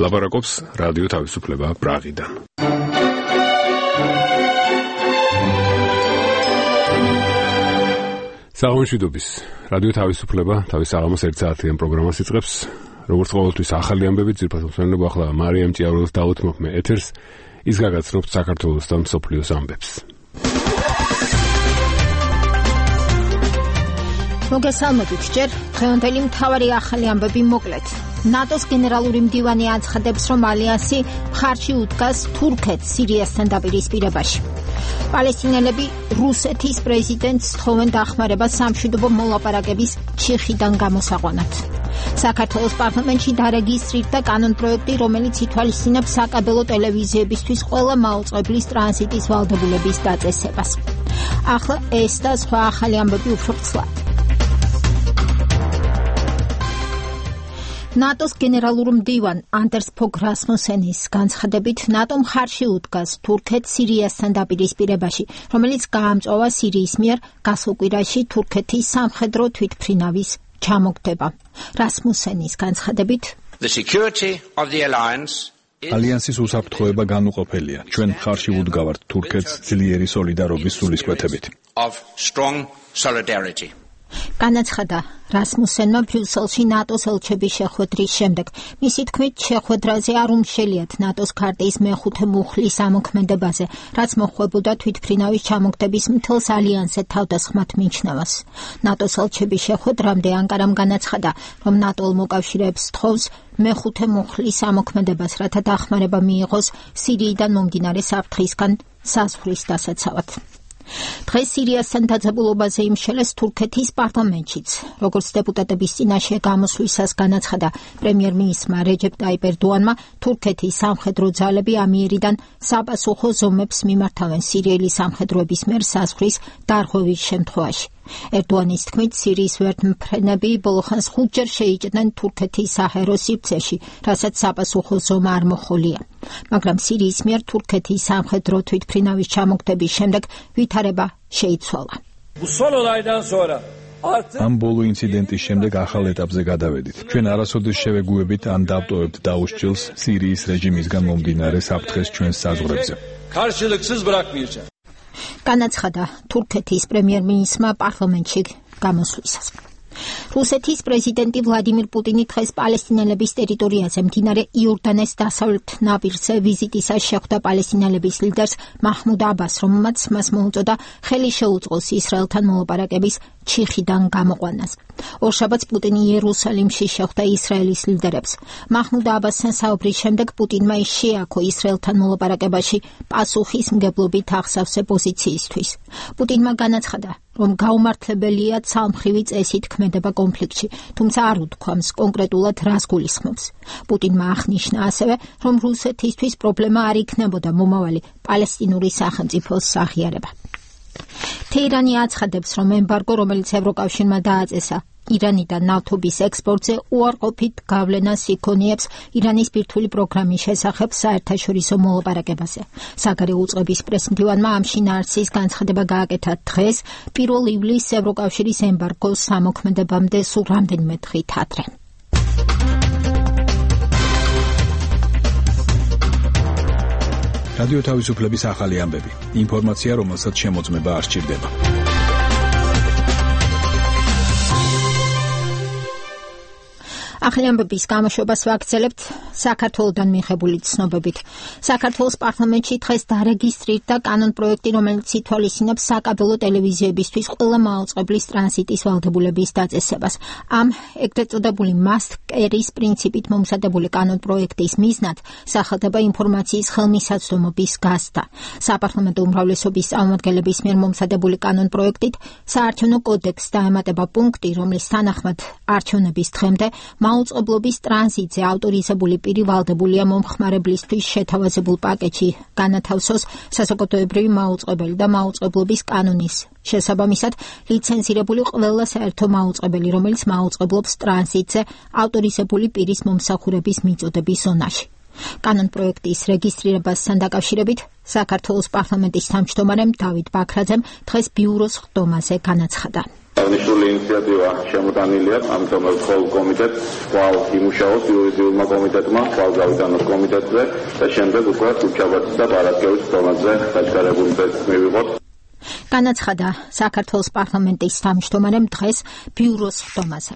ლაპარაკობს რადიო თავისუფლება პრაღიდან. საღამოშვიდობის რადიო თავისუფლება თავის საღამოს 1 საათიან პროგრამას იწყებს. როგორც ყოველთვის ახალი ამბებით ძირფას მოსვენებო ახლა მარიამ ჭიაურელს დაუთმობ მე ეთერს. ის გაგაცნობთ საქართველოსთან მსოფლიოს ამბებს. მოგესალმებით ჯერ დღევანდელი მთავარი ახალი ამბები მოკლედ. ნატოს გენერალური მდივანი აცხადებს, რომ ალიანსი მხარში უდგას თურქეთს სირიასთან დაპირისპირებაში. პალესტინელები რუსეთის პრეზიდენტს თხოვენ დახმარებას სამშვიდობო მოლაპარაკების ჩიხიდან გამოსაყვანად. საქართველოს პარლამენტში დარეგისტრირდა კანონპროექტი, რომელიც ითვალისწინებს საკაბელო ტელევიზიებისთვის ყველა მაუწყებლის ტრანზიტის ვალდებულების დაწესებას. ახლა ეს და სხვა ახალი ამბები უფრო ცვლად. ნატოს გენერალურ მდივან ანდერს ფოგ რასმუსენის განცხადებით, ნატო მხარში უდგას თურქეთს სირიასთან დაპირისპირებაში, რომელიც გაამწვავა სირიის მიერ გასულ კვირაში თურქეთის სამხედრო თვითმფრინავის ჩამოგდება. რასმუსენის განცხადებით, ალიანსის უსაფრთხოება განუყოფელია. ჩვენ მხარში ვუდგავართ თურქეთს ძლიერი სოლიდარობის სულისკვეთებით. განაცხადა რასმუსენმა ბრიუსელში ნატოს ელჩების შეხვედრის შემდეგ. მისი თქმით, შეხვედრაზე არ უმშელიათ ნატოს ქარტიის მეხუთე მუხლის ამოქმედებაზე, რაც მოხვებოდა თვითმფრინავის ჩამოგდების მთელს ალიანსზე თავდასხმად მიჩნევას. ნატოს ელჩების შეხვედრამდე ანკარამ განაცხადა, რომ ნატო მოკავშირეებს თხოვს მეხუთე მუხლის ამოქმედებას, რათა დახმარება მიიღოს სირიიდან მომდინარე საფრთხისგან საზღვრის დასაცავად. დღეს სირიასთან დაძაბულობაზე იმშელეს თურქეთის პარლამენტშიც. როგორც დეპუტატების წინაშე გამოსვლისას განაცხადა პრემიერ-მინისტრმა რეჯეპ ტაიპ ერდოანმა, თურქეთის სამხედრო ძალები ამიერიდან საპასუხო ზომებს მიმართავენ სირიელი სამხედროების მიერ საზღვრის დარღვევის შემთხვევაში. ერდოანის თქმით, სირიის ვერტმფრენები ბოლოხანს 5 ჯერ შეიჭდნენ თურქეთის საჰაერო სივრცეში, რასაც საპასუხო ზომა არ მოჰყოლია. მაგრამ სირიის მიერ თურქეთის სამხედრო თვითმფრინავის ჩამოგდების შემდეგ ვითარება შეიცვალა. ამ ბოლო ინციდენტის შემდეგ ახალ ეტაპზე გადავედით. ჩვენ არასოდეს შევეგუებით ან დავტოვებთ დაუსჯელს სირიის რეჟიმისგან მომდინარე საფრთხეს ჩვენს საზღვრებზე. განაცხადა თურქეთის პრემიერ-მინისტრმა პარლამენტში გამოსვლისას. რუსეთის პრეზიდენტი ვლადიმირ პუტინი დღეს პალესტინელების ტერიტორიაზე მდინარე იორდანეს დასავლეთ ნაპირზე ვიზიტისას შეხვდა პალესტინელების ლიდერს მაჰმუდ აბას, რომელმაც მას მოუწოდა ხელი შეუწყოს ისრაელთან მოლაპარაკების ჩიხიდან გამოყვანას. ორშაბათს პუტინი იერუსალიმში შეხვდა ისრაელის ლიდერებს. მაჰმუდ აბასთან საუბრის შემდეგ პუტინმა შეაქო ისრაელთან მოლაპარაკებაში პასუხისმგებლობით აღსავსე პოზიციისთვის. პუტინმა განაცხადა, რომ გაუმართლებელია ცალმხრივი წესით ქმედება კონფლიქტში, თუმცა არ უთქვამს კონკრეტულად რას გულისხმობს. პუტინმა აღნიშნა ასევე, რომ რუსეთისთვის პრობლემა არ იქნებოდა მომავალი პალესტინური სახელმწიფოს აღიარება. თეირანი აცხადებს, რომ ემბარგო, რომელიც ევროკავშირმა დააწესა ირანიდან ნავთობის ექსპორტზე, უარყოფით გავლენას იქონიებს ირანის ბირთვული პროგრამის შესახებ საერთაშორისო მოლაპარაკებაზე. საგარეო უწყების პრესმდივანმა ამ შინაარსის განცხადება გააკეთა დღეს, 1 ივლისს ევროკავშირის ემბარგოს სამოქმედებამდე სულ რამდენიმე დღით ადრე. რადიო თავისუფლების ახალი ამბები. ინფორმაცია, რომელსაც შემოწმება არ სჭირდება. ახალი ამბების გამოშვებას ვაგრძელებთ საქართველოდან მიღებული ცნობებით. საქართველოს პარლამენტში დღეს დარეგისტრირდა კანონპროექტი, რომელიც ითვალისწინებს საკაბელო ტელევიზიებისთვის ყველა მაუწყებლის ტრანზიტის ვალდებულების დაწესებას. ამ ეგრეთ წოდებული must carry-ის პრინციპით მომზადებული კანონპროექტის მიზნად სახელდება ინფორმაციის ხელმისაწვდომობის გაზრდა. საპარლამენტო უმრავლესობის წარმომადგენლების მიერ მომზადებული კანონპროექტით საარჩევნო კოდექსს დაემატება პუნქტი, რომლის თანახმად არჩევნების დღემდე მაუწყებლობის ტრანზიტზე ავტორიზებული პირი ვალდებულია მომხმარებლისთვის შეთავაზებულ პაკეტში განათავსოს საზოგადოებრივი მაუწყებელი და მაუწყებლობის კანონის შესაბამისად ლიცენზირებული ყველა საერთო მაუწყებელი, რომელიც მაუწყებლობს ტრანზიტზე ავტორიზებული პირის მომსახურების მიწოდების ზონაში. კანონპროექტის რეგისტრირებასთან დაკავშირებით საქართველოს პარლამენტის თავმჯდომარემ დავით ბაქრაძემ დღეს ბიუროს ხდომაზე განაცხადა. აღნიშნული ინიციატივა შემოტანილია, ამიტომ მხოლოდ კომიტეტს კვლავ იმუშაოს იურიდიულმა კომიტეტმა, კვლავ გავიტანოს კომიტეტზე და შემდეგ უკვე ხუთშაბათის და პარასკევის თომაზე დაჩქარებული ტექსტი მივიღოთ. განაცხადა საქართველოს პარლამენტის თავმჯდომარემ დღეს ბიუროს ხდომაზე.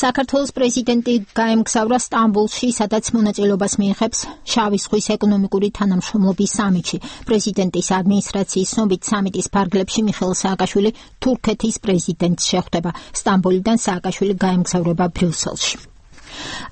საქართველოს პრეზიდენტი გაემგზავრა სტამბოლში, სადაც მონაწილეობას მიიღებს შავი ზღვის ეკონომიკური თანამშრომლობის სამიტში. პრეზიდენტის ადმინისტრაციის ცნობით სამიტის ფარგლებში მიხეილ სააკაშვილი თურქეთის პრეზიდენტს შეხვდება. სტამბოლიდან სააკაშვილი გაემგზავრება ბრიუსელში.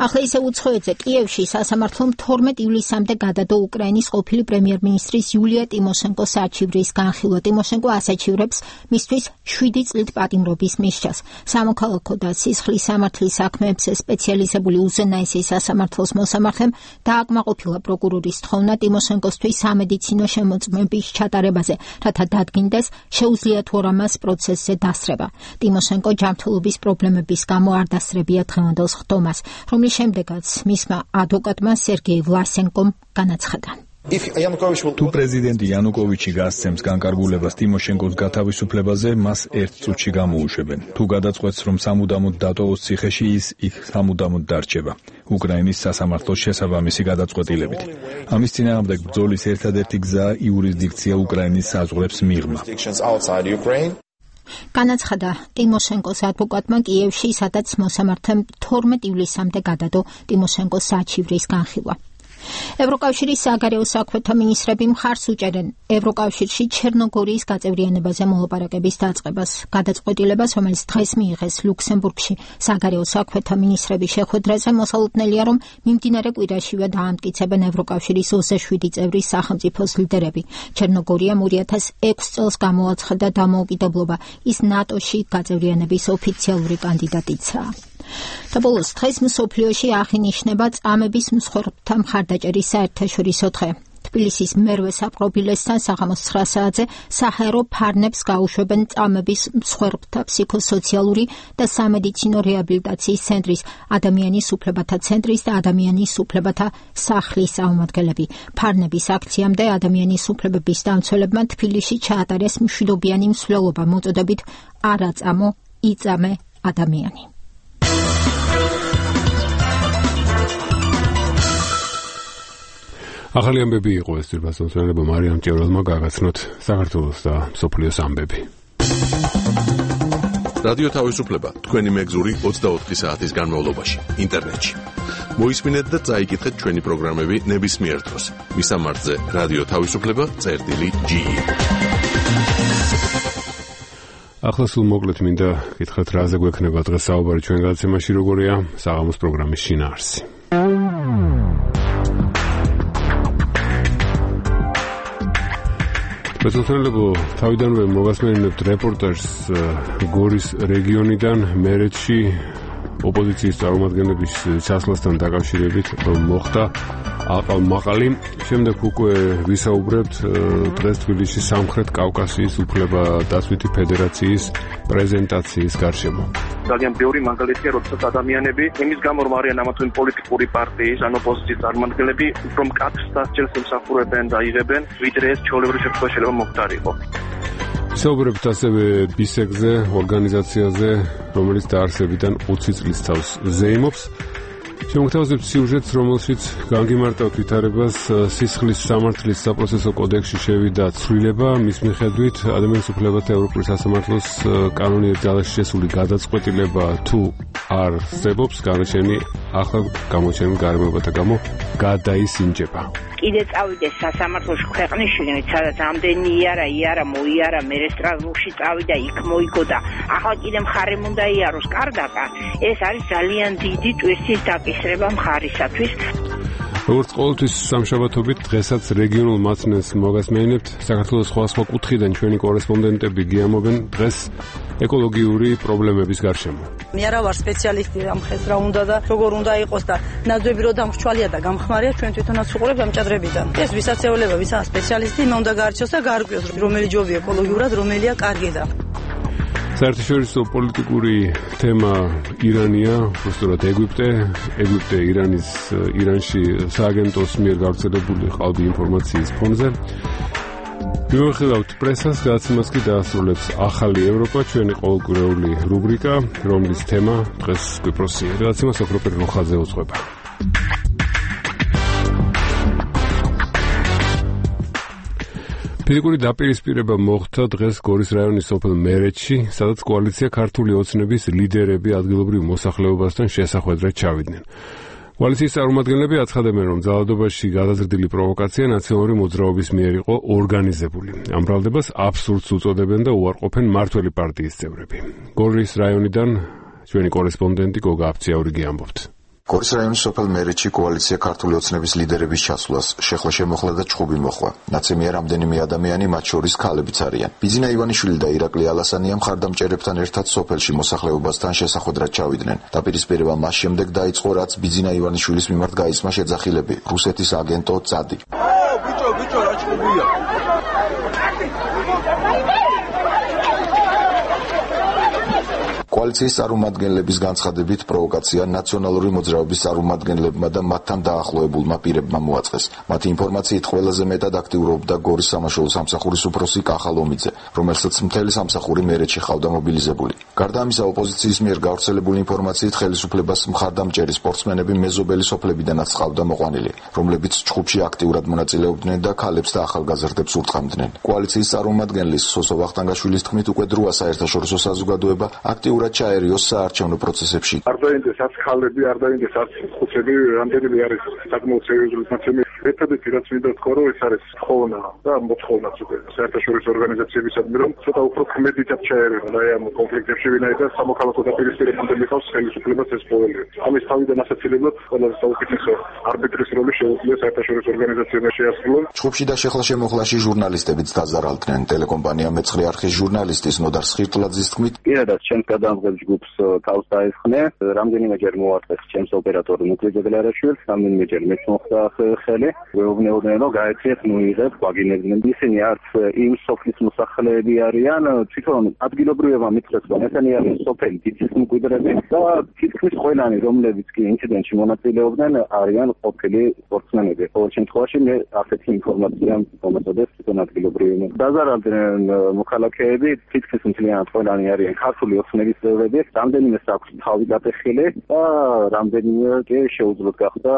ახლა ისე უცხოეთზე კიევში სასამართლომ 12 ივლისამდე გადადო უკრაინის ყოფილი პრემიერ-მინისტრის იულია ტიმოშენკოს არჩევრის განხილვა. ტიმოშენკო ასაჩივრებს მისთვის 7 წლით პატიმრობის მისჯას. სამოქალაქო და სისხლის სამართლის საქმეებზე სპეციალიზებული უზენაესი სასამართლოს მოსამართლემ დააკმაყოფილა პროკურორის თხოვნა ტიმოშენკოსთვის სამედიცინო შემოწმების ჩატარებაზე, რათა დადგინდეს შეუძლია თუ არა მას პროცესზე დასწრება. ტიმოშენკო ჯანმრთელობის პრობლემების გამო არ დასწრებია დღევანდელ ხდომას, რომლის შემდეგაც მისმა ადვოკატმა სერგეი ვლასენკომ განაცხადა. თუ პრეზიდენტი იანუკოვიჩი გასცემს განკარგულებას ტიმოშენკოს გათავისუფლებაზე, მას 1 წუთში გამოუშვებენ. თუ გადაწყვეტს, რომ სამუდამოდ დატოვოს ციხეში, ის იქ სამუდამოდ დარჩება. უკრაინის სასამართლოს შესაბამისი გადაწყვეტილებით. ამის წინააღმდეგ ბრძოლის ერთადერთი გზა იურისდიქცია უკრაინის საზღვრებს მიღმა. განაცხადა ტიმოშენკოს ადვოკატმა კიევში, სადაც მოსამართლემ 12 ივლისამდე გადადო ტიმოშენკოს საჩივრის განხილვა. ევროკავშირის საგარეო საქმეთა მინისტრები მხარს უჭერენ ევროკავშირში ჩერნოგორიის გაწევრიანებაზე მოლაპარაკების დაწყებას. გადაწყვეტილებას, რომელიც დღეს მიიღეს ლუქსემბურგში საგარეო საქმეთა მინისტრების შეხვედრაზე, მოსალოდნელია, რომ მიმდინარე კვირაშივე დაამტკიცებენ ევროკავშირის 27 წევრის სახელმწიფოს ლიდერები. ჩერნოგორიამ 2006 წელს გამოაცხადა დამოუკიდებლობა. ის ნატოში გაწევრიანების ოფიციალური კანდიდატიცაა. და ბოლოს დღეს მსოფლიოში აღინიშნება წამების მსხვერპლთა მხარდაჭერის საერთაშორისო დღე. თბილისის მერვე საპყრობილესთან საღამოს 9 საათზე საჰაერო ფარნებს გაუშვებენ წამების მსხვერპლთა ფსიქოსოციალური და სამედიცინო რეაბილიტაციის ცენტრის, ადამიანის უფლებათა ცენტრის და ადამიანის უფლებათა სახლის წარმომადგენლები. ფარნების აქციამდე ადამიანის უფლებების დამცველებმა თბილისში ჩაატარეს მშვიდობიანი მსვლელობა მოწოდებით არა წამო, იწამე ადამიანი. ახალი ამბები იყო ეს ძირფასმცველებმა მარიამ ჭიაურელმა გაგაცნოთ საქართველოს და მსოფლიოს ამბები. რადიო თავისუფლება თქვენი მეგზური 24 საათის განმავლობაში ინტერნეტში. მოისმინეთ და წაიკითხეთ ჩვენი პროგრამები ნებისმიერ დროს. მისამართზე რადიო თავისუფლება.ge. ახლა სულ მოკლედ მინდა გითხრათ რაზე გვექნება დღეს საუბარი ჩვენ გადაცემაში, როგორია საღამოს პროგრამის შინაარსი. მეზობლებო, თავიდანვე მოგასმენინებთ რეპორტაჟს გორის რეგიონიდან მერეთში ოპოზიციის წარმომადგენლების ჩასვლასთან დაკავშირებით, რომ მოხდა აყალმაყალი. შემდეგ უკვე ვისაუბრებთ დღეს თბილისში სამხრეთ კავკასიის უფლებადაცვითი ფედერაციის პრეზენტაციის გარშემო. ძალიან ბევრი მაგალითია, როდესაც ადამიანები იმის გამო რომ არიან ამა თუ იმ პოლიტიკური პარტიის ან ოპოზიციის წარმომადგენლები, უფრო მკაცრ დასჯელს ემსახურებენ და იღებენ, ვიდრე ეს ჩვეულებრივ შემთხვევაში შეიძლება მოხდარიყო. საუბრებთ ასევე ბისეკზე, ორგანიზაციაზე, რომელიც დაარსებიდან 20 წლის თავს ზეიმობს. შემოგთავაზებთ სიუჟეტს, რომელშიც განგიმარტავთ ვითარებას სისხლის სამართლის საპროცესო კოდექსში შევიდა ცვლილება, მის მიხედვით ადამიანის უფლებათა ევროპული სასამართლოს კანონიერ ძალაში შესული გადაწყვეტილება თუ არ არსებობს, განაჩენი ახლა გამოჩენილ გარემოებათა გამო გადაისინჯება. კიდე წავიდეს სასამართლოში ქვეყნის შიგნით, სადაც ამდენი იარა მოიარა, მერე სტრასბურგში წავიდა, იქ მოიგო და ახლა კიდე მხარემ უნდა იაროს კარგაკა. ეს არის ძალიან დიდი ტვისტის დაკისრება მხარისათვის. როგორც ყოველთვის სამშაბათობით დღესაც რეგიონულ მაცნეს მოგასმენინებთ. საქართველოს სხვადასხვა კუთხიდან ჩვენი კორესპონდენტები გიამობენ დღეს ეკოლოგიური პრობლემების გარშემო. მე არა ვარ სპეციალისტი ამ ხეს რა უნდა და როგორ უნდა იყოს და ნაძვები რო დამრჩვალია და გამხმარია ჩვენ თვითონაც უყურებთ ამ ჭადრებიდან. ეს ვისაც ეოლება, ვისაც სპეციალისტი, მე უნდა გაარჩიოს და გაარკვიოს რომელი ჯობია ეკოლოგიურად, რომელია კარგი და საერთაშორისო პოლიტიკური თემა ირანია, უბრალოდ ეგვიპტე ირანში სააგენტოს მიერ გავრცელებული ყალბი ინფორმაციის ფონზე. მიუხედავად პრესას გადაცემას კი დაასრულებს ახალი ევროპა, ჩვენი ყოველკვირეული რუბრიკა, რომლის თემა დღეს კვიპროსი გადაცემა სოფროპერ როხაზე უძღვება. ფიზიკური დაპირისპირება მოხდა დღეს გორის რაიონის სოფელ მერეთში, სადაც კოალიცია ქართული ოცნების ლიდერები ადგილობრივ მოსახლეობასთან შესახვედრად ჩავიდნენ. კოალიციის წარმომადგენლები აცხადებენ, რომ ძალადობაში გადაზრდილი პროვოკაცია ნაციონალური მოძრაობის მიერ იყო ორგანიზებული. ამ ბრალდებას აბსურდს უწოდებენ და უარყოფენ მმართველი პარტიის წევრები. გორის რაიონიდან ჩვენი კორესპონდენტი გოგა აფციაურიგი ამბობთ. გორის რაიონის სოფელ მერეთში კოალიცია ქართული ოცნების ლიდერების ჩასვლას შეხლა შემოხლა და ჩხუბი მოხვა. ნაცემია რამდენიმე ადამიანი, მათ შორის ქალებიც არიან. ბიძინა ივანიშვილი და ირაკლი ალასანია მხარდამჭერებთან ერთად სოფელში მოსახლეობასთან შესახვედრად ჩავიდნენ. დაპირისპირება მას შემდეგ დაიწყო, რაც ბიძინა ივანიშვილის მიმართ გაისმა შეძახილები. რუსეთის აგენტო წადი. ბიჭო, რა ჩხუბია? კოალიციის წარმომადგენლების განცხადებით პროვოკაცია ნაციონალური მოძრაობის წარმომადგენლებმა და მათთან დაახლოებულმა პირებმა მოაწყეს. მათი ინფორმაციით ყველაზე მეტად აქტიურობდა გორის სამაშველო სამსახურის უფროსი კახა ლომიძე, რომელსაც მთელი სამსახური მერეთში ჰყავდა მობილიზებული. გარდა ამისა, ოპოზიციის მიერ გავრცელებული ინფორმაციით ხელისუფლებას მხარდამჭერი სპორტსმენები მეზობელი სოფლებიდანაც ჰყავდა მოყვანილი, რომლებიც ჩხუბში აქტიურად მონაწილეობდნენ და ქალებს და ახალგაზრდებს ურტყამდნენ. კოალიციის წარმომადგენლის სოსო ვახტანგაშვილის თქმით, უკვე დროა საერთაშორისო საზოგადოება აქტიურად ჩაერიოს საარჩევნო პროცესებში. არ დაინდეს არც ქალები, არ დაინდეს არც ხუთები, რამდენიმე არის საკმაოდ სერიოზული ნაცემი. ერთადერთი რაც მინდა ვთქვა, რომ ეს არის ხოვნა და მოთხოვნაც უკვე საერთაშორისო ორგანიზაციებისადმი, რომ ცოტა უფრო ქმედითაც ჩაერევა და ამ კონფლიქტებში ვინაიდან სამოქალაქო დაპირისპირებამდე მიყავს ხელისუფლებას ეს ყოველია. ამის თავიდან ასაცილებლად ყველაზე საუკეთესო არბიტრის როლი შეუძლია საერთაშორისო ორგანიზაციებმა შეასრულონ. ჩხუბში და შეხლა შემოხლაში ჟურნალისტებიც დაზარალდნენ. ტელეკომპანია მეცხრე არხის ჟურნალისტის ნოდარ სხირტლაძის თქმით, პირადად ჩემს გადამღებ ჯგუფს თავს დაესხნე, რამდენიმეჯერ მოარტყეს ჩემს ოპერატორ ნუკლი ჯეგლარაშვილს, რამდენიმეჯერ მეც მოხდა ხელი, ვეუბნეოდნენ, რომ გაეციეთ, მოიღეთ, გვაგინებდნენ. ისინი არც იმ სოფლის მოსახლეები არიან, თვითონ ადგილობრივებმა მითხრეს, რომ ესენი არიან სოფელი დიცის მკვიდრები და თითქმის ყველანი, რომლებიც კი ინციდენტში მონაწილეობდნენ, არიან ყოფილი სპორტსმენები. ყოველ შემთხვევაში მე ასეთი ინფორმაცია მომეწოდეს თვითონ ადგილობრივებმა. დაზარალდნენ მოქალაქეები, თითქმის მთლიანად ყველანი არიან ქართული ოცნების წევრები, რამდენიმეს აქვს თავი გატეხილი და რამდენიმე კი შეუძლოთ გახდა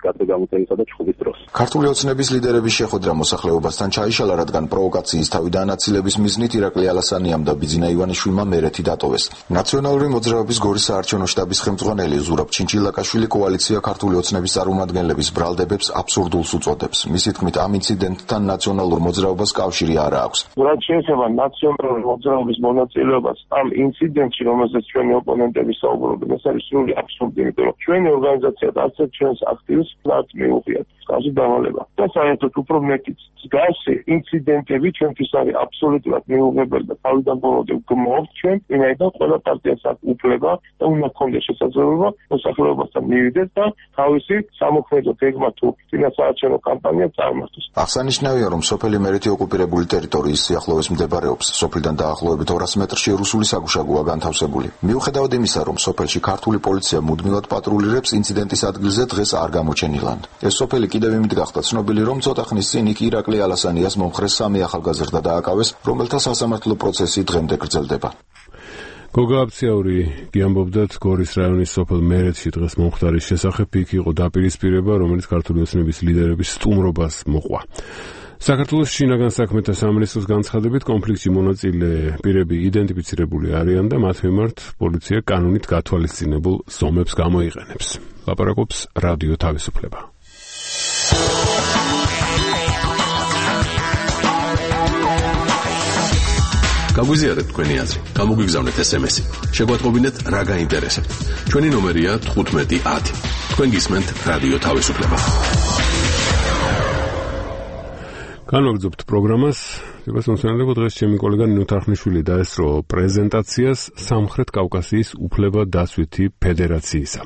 გადაგამოწევისა და ჩხუბის დროს. ქართული ოცნების ლიდერების შეხვედრა მოსახლეობასთან ჩაიშალა, რადგან პროვოკაციის თავი დაანაცილების მიზნით ირაკლი ალასანიამ და ბიძინა ივანიშვილმა მერეთი დატოვეს. ნაციონალური მოძრაობის გორის საარჩევნო შტაბის ხელმძღვანელი ზურაბ ჩინჩილაკაშვილი კოალიცია ქართული ოცნების წარმომადგენლების ბრალდებებს აბსურდულს უწოდებს. მისი თქმით, ამ ინციდენტთან ნაციონალურ მოძრაობას კავშირი არ აქვს. რაც შეეხება ნაციონალური მოძრაობის მონაწილეობას ამ ინციდენტში, რომელზეც ჩვენი ოპონენტები საუბრობენ, ეს არის სრული აბსურდი, იმიტომ რომ ჩვენი ორგანიზაცია და არც ჩვენს აქტივისტს არ მიუღიათ კავშირი დავალება. და საერთოდ უფრო მეტიც მსგავსი ინციდენტები ჩვენთვის არის აბსოლუტურად მიუღებელი და თავიდან ბოლომდე გმოვთ ჩვენ, ვინაიდან ყველა პარტიას აქვს უფლება და უნდა ქონდეს შესაძლებლობა მოსახლეობასთან მივიდეს და თავისი სამოქმედო გეგმა თუ წინასაარჩევნო კამპანია წარმართოს. აღსანიშნავია, რომ სოფელი მერეთი ოკუპირებული ტერიტორიის სიახლოვეს მდებარეობს. სოფლიდან დაახლოებით 200 მეტრში რუსული საგუშაგოა განთავსებული. მიუხედავად იმისა, რომ სოფელში ქართული პოლიცია მუდმივად პატრულირებს, ინციდენტის ადგილზე დღეს არ გამოჩენილან. ეს სოფელი კიდევ იმით გახდა ცნობილი, რომ ცოტა ხნის წინ იქ ირაკლი ალასანიას მომხრეს 3 ახალგაზრდა დააკავეს, რომელთა სასამართლო პროცესი დღემდე გრძელდება. გოგა აფციაური გიამბობდათ გორის რაიონის სოფელ მერეთში დღეს მომხდარის შესახებ. იქ იყო დაპირისპირება, რომელიც ქართული ოცნების ლიდერების სტუმრობას მოყვა. საქართველოს შინაგან საქმეთა სამინისტროს განცხადებით, კონფლიქტში მონაწილე პირები იდენტიფიცირებული არიან და მათ მიმართ პოლიცია კანონით გათვალისწინებულ ზომებს გამოიყენებს. ლაპარაკობს რადიო თავისუფლება. გაგვიზიარეთ თქვენი აზრი, გამოგვიგზავნეთ SMS-ი. შეგვატყობინეთ რა გაინტერესებთ. ჩვენი ნომერია 1510. თქვენ გისმენთ რადიო თავისუფლება. განვაგრძობთ პროგრამას. მოსმენელებო, დღეს ჩემი კოლეგა ნინო თარხნიშვილი დაესწრო პრეზენტაციას სამხრეთ კავკასიის უფლება-დაცვითი ფედერაციისა.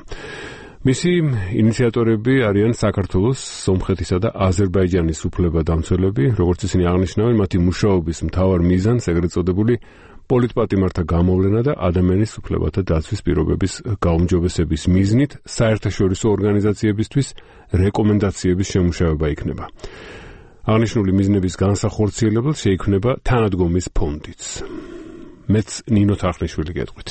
მისი ინიციატორები არიან საქართველოს, სომხეთისა და აზერბაიჯანის უფლება-დამცველები, როგორც ისინი აღნიშნავენ, მათი მუშაობის მთავარ მიზანს ეგრეთ წოდებული პოლიტპატიმართა გამოვლენა და ადამიანის უფლებათა დაცვის პირობების გაუმჯობესების მიზნით საერთაშორისო ორგანიზაციებისთვის რეკომენდაციების შემუშავება იქნება. აღნიშნული მიზნების განსახორციელებელს შეიქმნება თანადგომის ფონდიც. მეც ნინო თარხნიშვილი გეტყვით.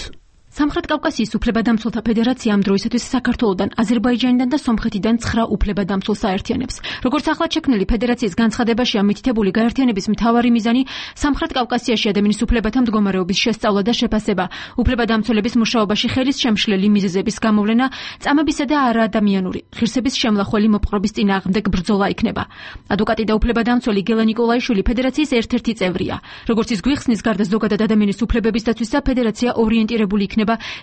სამხრეთ კავკასიის უფლებადამცველთა ფედერაცია ამ დროისათვის საქართველოდან, აზერბაიჯანიდან და სომხეთიდან 9 უფლებადამცველს აერთიანებს. როგორც ახლად შექმნილი ფედერაციის განცხადებაში ამითითებული გაერთიანების მთავარი მიზანი სამხრეთ კავკასიაში ადამიანის უფლებათა მდგომარეობის შესწავლა და შეფასება, უფლებადამცველების მუშაობაში ხელის შემშლელი მიზეზების გამოვლენა, წამებისა და არაადამიანური ღირსების შემლახველი მოპყრობის წინააღმდეგ ბრძოლა იქნება. ადვოკატი და უფლებადამცველი გელა ნიკოლაიშვილი ფედერაციის ერთ-ერთი წევრია. როგორც ის გვიხსნის, გარდა ზოგადად ადამიანის უფლებების დაცვისა, ფედერაცია ორიენტირებული იქნება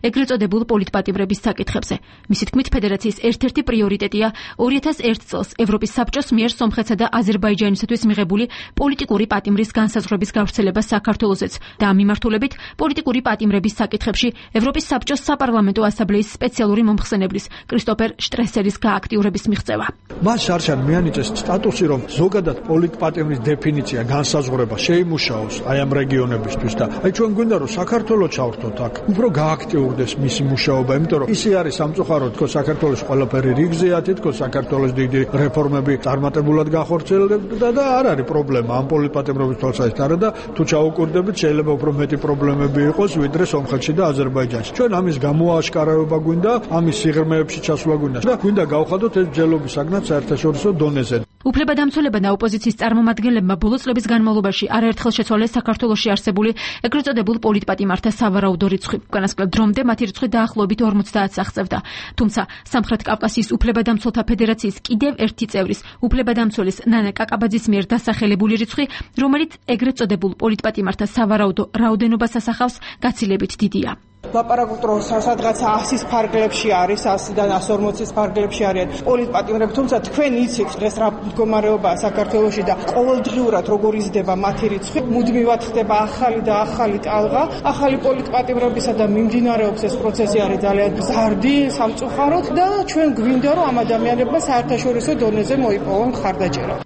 ეგრეთ წოდებულ პოლიტპატიმრების საკითხებზე. მისი თქმით, ფედერაციის ერთ-ერთი პრიორიტეტია 2001 წელს ევროპის საბჭოს მიერ სომხეთსა და აზერბაიჯანისათვის მიღებული პოლიტიკური პატიმრის განსაზღვრების გავრცელება საქართველოსაც და ამ მიმართულებით პოლიტიკური პატიმრების საკითხებში ევროპის საბჭოს საპარლამენტო ასამბლეის სპეციალური მომხსენებლის კრისტოფერ შტრესერის გააქტიურების მიღწევა. მას შარშან მიანიჭეს სტატუსი, რომ ზოგადად პოლიტპატიმრის დეფინიცია, განსაზღვრება შეიმუშაოს აი ამ რეგიონებისთვის და აი ჩვენ გვინდა რომ საქართველოს ჩავერთოთ აქ. უფრო გააქტიურდეს მისი მუშაობა, იმიტომ რომ ისე არის სამწუხაროდ, თქო საქართველოს ყველაფერი რიგზეა, თქო საქართველოს დიდი რეფორმები წარმატებულად განხორციელებდა და არ არის პრობლემა ამ პოლიტპატიმრობის თვალსაზრისით არა და თუ ჩაუკვირდებით შეიძლება უფრო მეტი პრობლემები იყოს ვიდრე სომხეთში და აზერბაიჯანში. ჩვენ ამის გამოაშკარავება გვინდა, ამის სიღრმეებში ჩასვლა გვინდა და გვინდა გავხადოთ ეს ბრძოლების საგნად საერთაშორისო დონეზე. უფლებადამცველებმა და ოპოზიციის წარმომადგენლებმა ბოლო წლების განმავლობაში არაერთხელ შეცვალეს საქართველოში არსებული ეგრეთ წოდებულ პოლიტპატიმართა სავარაუდო რიცხვი. უკანასკნელ დრომდე მათი რიცხვი დაახლოებით 50-ს აღწევდა. თუმცა სამხრეთ კავკასიის უფლებადამცველთა ფედერაციის კიდევ ერთი წევრის, უფლებადამცველის ნანა კაკაბაძის მიერ დასახელებული რიცხვი, რომელიც ეგრეთ წოდებულ პოლიტპატიმართა სავარაუდო რაოდენობას ასახავს, გაცილებით დიდია. ლაპარაკობთ რომ სადღაც 100-ის ფარგლებში არის, 100-დან 140-ის ფარგლებში არიან პოლიტპატიმრები, თუმცა თქვენ იცით დღეს რა მდგომარეობაა საქართველოში და ყოველდღიურად როგორ იზრდება მათი რიცხვი, მუდმივად ხდება ახალი და ახალი ტალღა, ახალი პოლიტპატიმრებისა და მიმდინარეობს ეს პროცესი არის ძალიან ზარდი, სამწუხაროდ და ჩვენ გვინდა რომ ამ ადამიანებმა საერთაშორისო დონეზე მოიპოვონ მხარდაჭერა.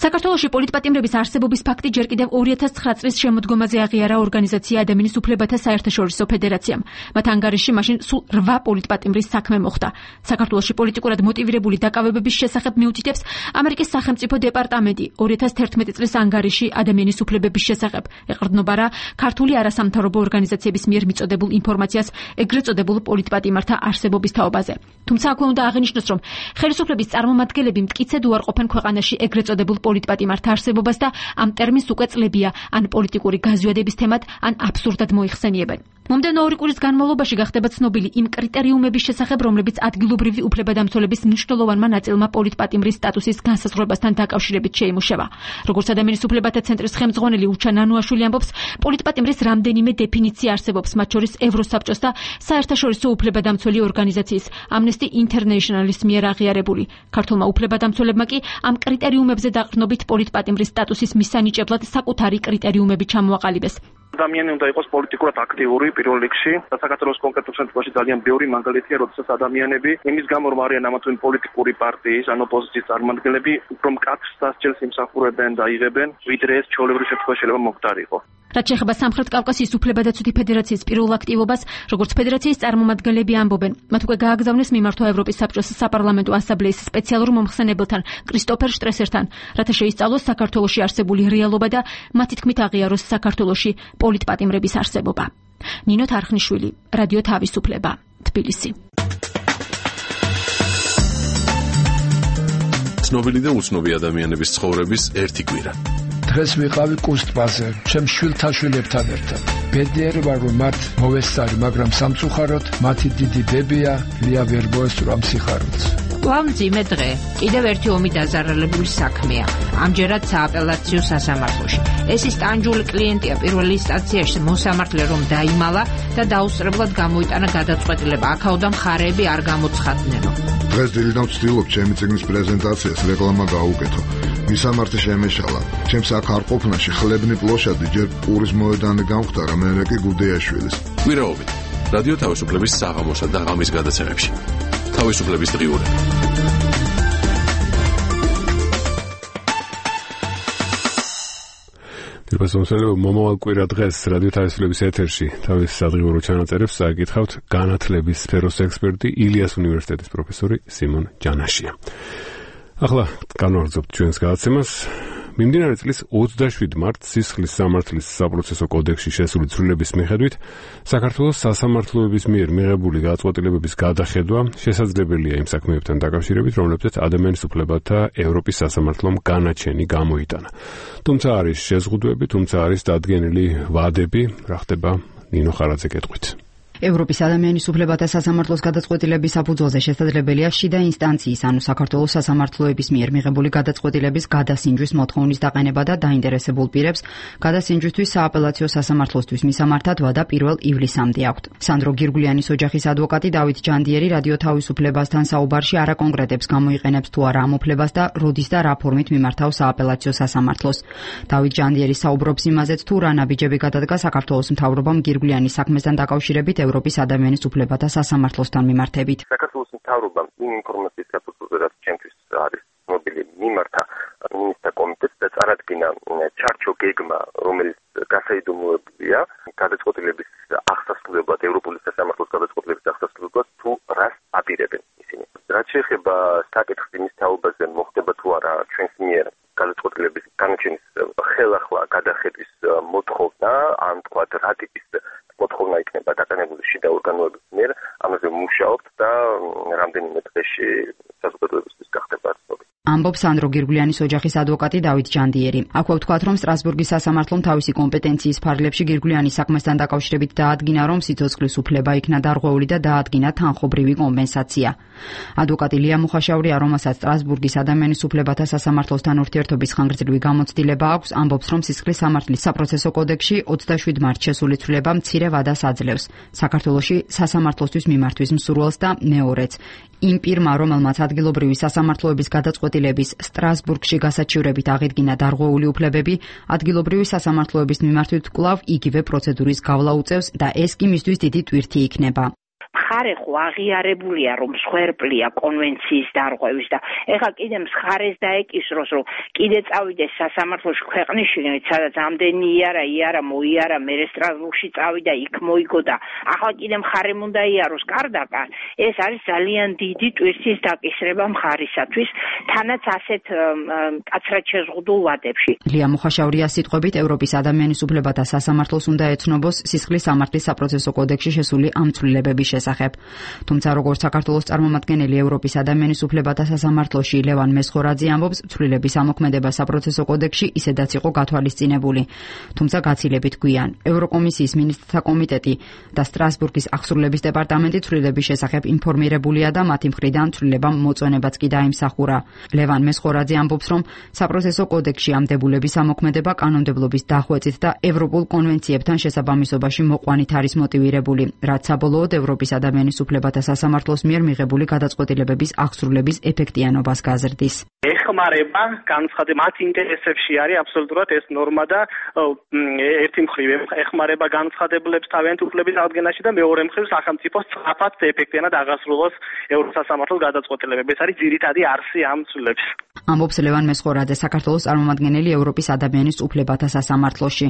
საქართველოში პოლიტპატიმრების არსებობის ფაქტი ჯერ კიდევ 2009 წლის შემოდგომაზე აღიარა ორგანიზაცია ადამიანის უფლებათა საერთაშორისო ფედერაციამ. მათ ანგარიშში მაშინ სულ 8 პოლიტპატიმრის საქმე მოხდა. საქართველოში პოლიტიკურად მოტივირებული დაკავებების შესახებ მიუთითებს ამერიკის სახელმწიფო დეპარტამენტი 2011 წლის ანგარიში ადამიანის უფლებების შესახებ. ეყრდნობა რა ქართული არასამთავრობო ორგანიზაციების მიერ მიწოდებულ ინფორმაციას ეგრეთ წოდებულ პოლიტპატიმართა არსებობის თაობაზე. თუმცა აქვე უნდა აღინიშნოს, რომ ხელისუფლების წარმომადგენლები მტკიცედ უარყოფენ ქვეყანაში ეგრეთ წოდებულ პოლიტპატიმართა არსებობას და ამ ტერმინს უკვე წლებია ან პოლიტიკური გაზვიადების თემად, ან აბსურდად მოიხსენიებენ. მომდევნო 2 კვირის განმავლობაში გახდება ცნობილი იმ კრიტერიუმების შესახებ, რომლებიც ადგილობრივი უფლებადამცველების მნიშვნელოვანმა ნაწილმა პოლიტპატიმრის სტატუსის განსაზღვრებასთან დაკავშირებით შეიმუშავა. როგორც ადამიანის უფლებათა ცენტრის ხელმძღვანელი უჩა ნანუაშვილი ამბობს, პოლიტპატიმრის რამდენიმე დეფინიცია არსებობს, მათ შორის ევროსაბჭოს და საერთაშორისო უფლებადამცველი ორგანიზაციის Amnesty International-ის მიერ აღიარებული. ქართულმა უფლებადამცველებმა კი ამ კრიტერიუმებზე დაყრდნობით პოლიტპატიმრის სტატუსის მისანიჭებლად საკუთარი კრიტერიუმები ჩამოაყალიბეს. ადამიანი უნდა იყოს პოლიტიკურად აქტიური პირველ რიგში და საქართველოს კონკრეტულ შემთხვევაში ძალიან ბევრი მაგალითია, როდესაც ადამიანები იმის გამო რომ არიან ამა თუ იმ პოლიტიკური პარტიის ან ოპოზიციის წარმომადგენლები, უფრო მკაცრ სასჯელს იმსახურებენ და იღებენ, ვიდრე ეს ჩვეულებრივ შემთხვევაში შეიძლება მოხდარიყო. რაც შეეხება სამხრეთ კავკასიის უფლებადაცვითი ფედერაციის პირველ აქტივობას, როგორც ფედერაციის წარმომადგენლები ამბობენ, მათ უკვე გააგზავნეს მიმართვა ევროპის საბჭოს საპარლამენტო ასამბლეის სპეციალურ მომხსენებელთან კრისტოფერ შტრესერთან, რათა შეისწავლოს საქართველოში არსებული რეალობა და მათი თქმით აღიაროს საქართველოში პოლიტპატიმრების არსებობა. ნინო თარხნიშვილი, რადიო თავისუფლება, თბილისი. ცნობილი და უცნობი ადამიანების ცხოვრების ერთი კვირა. დღეს ვიყავი კუსტბაზე, ჩემ შვილთაშვილებთან ერთად. ბედნიერი ვარ, რომ მათ მოვესწარი, მაგრამ სამწუხაროდ მათი დიდი ბებია ლია ვერ მოესწრო სიხარულს. მძიმე დღე, კიდევ ერთი ომი დაზარალებული საქმეა. ამჯერად სააპელაციო სასამართლოში. ეს ის ტანჯული კლიენტია პირველ ინსტანციაში მოსამართლე რომ დაიმალა და დაუსწრებლად გამოიტანა გადაწყვეტილება. აქაოდა მხარეები არ გამოცხადნენო. დღეს დილიდან ვცდილობ ჩემი წიგნის პრეზენტაციას რეკლამა გაუკეთო. მისამართი შემეშალა. ჩემს აქ არ ყოფნაში ხლებნი პლოშადი ჯერ პურის მოედანი გამختარა, მერე კი გუდეაშვილის. კვირაობით რადიო თავისუფლების საღამოსა და ღამის გადაცემებში. თავისუფლების დღიურები. დიახ, მომავალ კვირა დღეს რადიო თავისუფლების ეთერში თავის სადღიურო ჩანაწერებს საკითხავთ განათლების სფეროს ექსპერტი ილიას უნივერსიტეტის პროფესორი სიმონ ჯანაშია. ახლა განვაგრძობთ ჩვენს გადაცემას. მიმდინარე წლის 27 მარტს სისხლის სამართლის საპროცესო კოდექსში შესული ცვლილების მიხედვით საქართველოს სასამართლოების მიერ მიღებული გადაწყვეტილებების გადახედვა შესაძლებელია იმ საქმეებთან დაკავშირებით, რომლებზეც ადამიანის უფლებათა ევროპის სასამართლომ განაჩენი გამოიტანა. თუმცა არის შეზღუდვები, თუმცა არის დადგენილი ვადები, რა ხდება ნინო ხარაძე კეთყვით. ევროპის ადამიანის უფლებათა სასამართლოს გადაწყვეტილების საფუძველზე შესაძლებელია შიდა ინსტანციის, ანუ საქართველოს სასამართლოების მიერ მიღებული გადაწყვეტილების გადასინჯვის მოთხოვნის დაყენება და დაინტერესებულ პირებს გადასინჯვისთვის სააპელაციო სასამართლოსთვის მისამართად ვადა 1 ივლისამდე აქვთ. სანდრო გირგულიანის ოჯახის ადვოკატი დავით ჯანდიერი რადიო თავისუფლებასთან საუბარში არა კონკრეტებს გამოიყენებს თუ არა ამ უფლებას და როდის და რა ფორმით მიმართავს სააპელაციო სასამართლოს. დავით ჯანდიერი საუბრობს იმაზეც, თუ რა ნაბიჯები გადადგა საქართველოს მთავრობამ გირგულიანის საქმესთან დაკავშირებით ევროპის ადამიანის უფლებათა სასამართლოსთან მიმართებით. საქართველოს მთავრობამ იმ ინფორმაციის საფუძველზე, რაც ჩემთვის არის ცნობილი, მიმართა მინისტრთა კომიტეტს და წარადგინა ჩარჩო გეგმა, რომელიც გასაიდუმლოებულია გადაწყვეტილების აღსასრულებლად, ევროპული სასამართლოს გადაწყვეტილების აღსასრულებლად, თუ რას აპირებენ ისინი. რაც შეეხება საკითხს იმის თაობაზე, მოხდება თუ არა ჩვენს მიერ გადაწყვეტილების განაჩენის ხელახლა გადახედვის მოთხოვნა, ან თქვა რა ტიპის მოთხოვნა იქნება დაკანებული შიდა ორგანოების მიერ, ამაზე მუშაობთ და რამდენიმე დღეში საზოგადოებისთვის გახდება ცნობილი. ამბობს სანდრო გირგულიანის ოჯახის ადვოკატი დავით ჯანდიერი. აქვე ვთქვათ, რომ სტრასბურგის სასამართლომ თავისი კომპეტენციის ფარგლებში გირგულიანის საქმესთან დაკავშირებით დაადგინა, რომ სიცოცხლის უფლება იქნა დარღვეული და დაადგინა თანხობრივი კომპენსაცია. ადვოკატი ლია მუხაშავრია, რომელსაც სტრასბურგის ადამიანის უფლებათა სასამართლოსთან ურთიერთობის ხანგრძლივი გამოცდილება აქვს, ამბობს, რომ სისხლის სამართლის საპროცესო კოდექსში 27 მარტს შესული ცვლილება მცირე ვადას აძლევს საქართველოში სასამართლოსთვის მიმართვის მსურველს და მეორეც. იმ პირმა, რომელმაც ადგილობრივი სასამართლოების გადაწყვეტილების სტრასბურგში გასაჩივრებით აღიდგინა დარღვეული უფლებები, ადგილობრივი სასამართლოების მიმართვით კვლავ იგივე პროცედურის გავლა უწევს და ეს კი მისთვის დიდი ტვირთი იქნება. მხარე ხო აღიარებულია, რომ მსხვერპლია კონვენციის დარღვევის და ეხლა კიდე მხარეს დაეკისროს, რომ კიდე წავიდეს სასამართლოში ქვეყნის შიგნით, სადაც ამდენი იარა მოიარა, მერე სტრასბურგში წავიდა, იქ მოიგო და ახლა კიდე მხარემ უნდა იაროს კარდაკარ. ეს არის ძალიან დიდი ტვირთის დაკისრება მხარისათვის, თანაც ასეთ კაცრად შეზღუდულ ვადებში. ლია მუხაშავრია სიტყვებით ევროპის ადამიანის უფლებათა სასამართლოს უნდა ეცნობოს სისხლის სამართლის საპროცესო კოდექსში შესული ამ ცვლილებების შესახებ. თუმცა როგორც საქართველოს წარმომადგენელი ევროპის ადამიანის უფლებათა სასამართლოში ლევან მესხორაძე ამბობს, ცვლილების ამოქმედება საპროცესო კოდექსში ისედაც იყო გათვალისწინებული. თუმცა გაცილებით გვიან. ევროკომისიის მინისტრთა კომიტეტი და სტრასბურგის აღსრულების დეპარტამენტი ცვლილების შესახებ ინფორმირებულია და მათი მხრიდან ცვლილებამ მოწონებაც კი დაიმსახურა. ლევან მესხორაძე ამბობს, რომ საპროცესო კოდექსში ამ დებულების ამოქმედება კანონმდებლობის დახვეწით და ევროპულ კონვენციებთან შესაბამისობაში მოყვანით არის მოტივირებული, რაც საბოლოოდ ევროპის ადამიანის უფლებათა სასამართლოს მიერ მიღებული გადაწყვეტილებების აღსრულების ეფექტიანობას გაზრდის. ეხმარება განცხადება მათ ინტერესებში არის აბსოლუტურად ეს ნორმა და ერთი მხრივ ეხმარება განცხადებლებს თავიანთი უფლების აღდგენაში და მეორე მხრივ სახელმწიფოს სწრაფად ეფექტიანად აღასრულოს ევროსასამართლოს გადაწყვეტილებები. ეს არის ძირითადი არსი ამ ცვლილების. ამბობს ლევან მესხორაძე, საქართველოს წარმომადგენელი ევროპის ადამიანის უფლებათა სასამართლოში.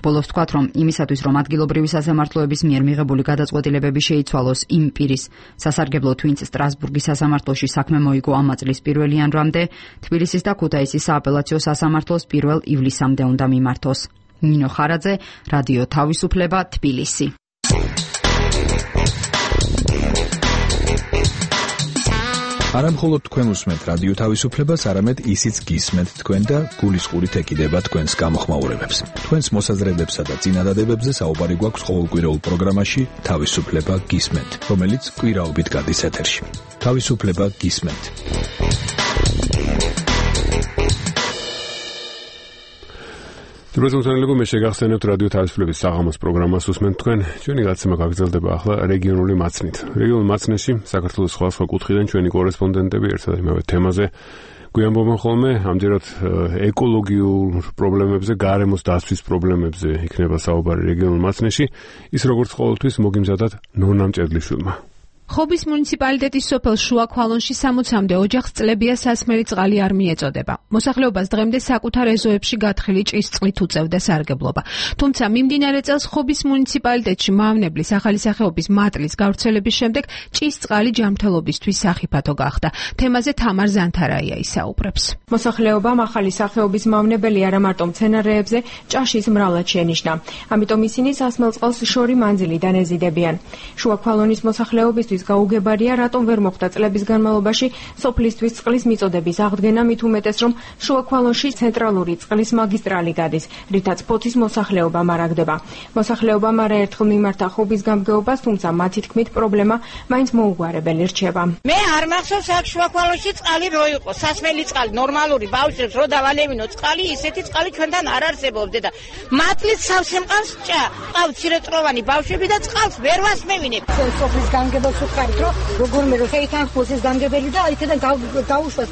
ბოლოს თქვათ, რომ იმისათვის, რომ ადგილობრივი სასამართლოების მიერ მიღებული გადაწყვეტილებები შეიცვალოს იმ პირის სასარგებლოდ, ვინც სტრასბურგის სასამართლოში საქმე მოიგო ამ წლის 1 იანვრამდე, თბილისის და ქუთაისის სააპელაციო სასამართლოს 1 ივლისამდე უნდა მიმართოს. ნინო ხარაძე, რადიო თავისუფლება, თბილისი. არა მხოლოდ თქვენ უსმენთ რადიო თავისუფლებას, არამედ ისიც გისმენთ თქვენ და გულისხმობით ეკიდება თქვენს გამოხმაურებებს. თქვენს მოსაზრებებსა და წინადადებებზე საუბარი გვაქვს ყოველკვირეულ პროგრამაში თავისუფლება გისმენთ, რომელიც კვირაობით გადის ეთერში. თავისუფლება გისმენთ. დროშმოთანილება მე შეგახსენებთ რადიო თავისუფლების საღამოს პროგრამას უსმენთ თქვენ. ჩვენი გაცემა გაგრძელდება ახლა რეგიონული მაცნით. რეგიონულ მაცნეში საქართველოს სხვა კუთხიდან ჩვენი კორესპონდენტები ერთად იმავე თემაზე გვიამბობენ ხოლმე, ამჯერად ეკოლოგიურ პრობლემებზე, გარემოს დაცვის პრობლემებზე იქნება საუბარი რეგიონულ მაცნეში, ის როგორც ყოველთვის მოგიმზადათ ნონა მჭედლიშვილმა. ხობის მუნიციპალიტეტის სოფელ შუა ქვალონში 60-მდე ოჯახს წლებია სასმელი წყალი არ მიეწოდება. მოსახლეობას დღემდე საკუთარ ეზოებში გათხრილი ჭის წყლით უწევდა სარგებლობა. თუმცა მიმდინარე წელს ხობის მუნიციპალიტეტში მავნებლის ახალი სახეობის მატლის გავრცელების შემდეგ ჭის წყალი ჯანმრთელობისთვის სახიფათო გახდა. თემაზე თამარ ზანთარაია ისაუბრებს. მოსახლეობამ ახალი სახეობის მავნებელი არა მარტო მცენარეებზე, ჭაშის მრავლად შენიშნა. ამიტომ ისინი სასმელ წყალს შორი მანძილიდან ეზიდებიან. შუა ქვალონის მოსახლეობისთვის გაუგებარია, რატომ ვერ მოხდა წლების განმავლობაში სოფლისთვის წყლის მიწოდების აღდგენა, მით უმეტეს რომ შუა ქვალონში ცენტრალური წყლის მაგისტრალი გადის, რითაც ფოთის მოსახლეობა მარაგდება. მოსახლეობამ არაერთხელ მიმართა ხობის გამგეობას, თუმცა მათი თქმით პრობლემა მაინც მოუგვარებელი რჩება. მე არ მახსოვს აქ შუა ქვალონში წყალი რო იყო, სასმელი წყალი, ნორმალური ბავშვებს რო დავალევინო წყალი, ისეთი წყალი ჩვენთან არ არსებობდა და მატლით სავსე მყავს ჭა, ყავ ცირეწლოვანი ბავშვები და წყალს ვერ ვასმევინებ. სოფლის გამგებას ვუყარით, რომ როგორმე რო შეითან ხოსის გამგებელი და იქიდან გაუშვას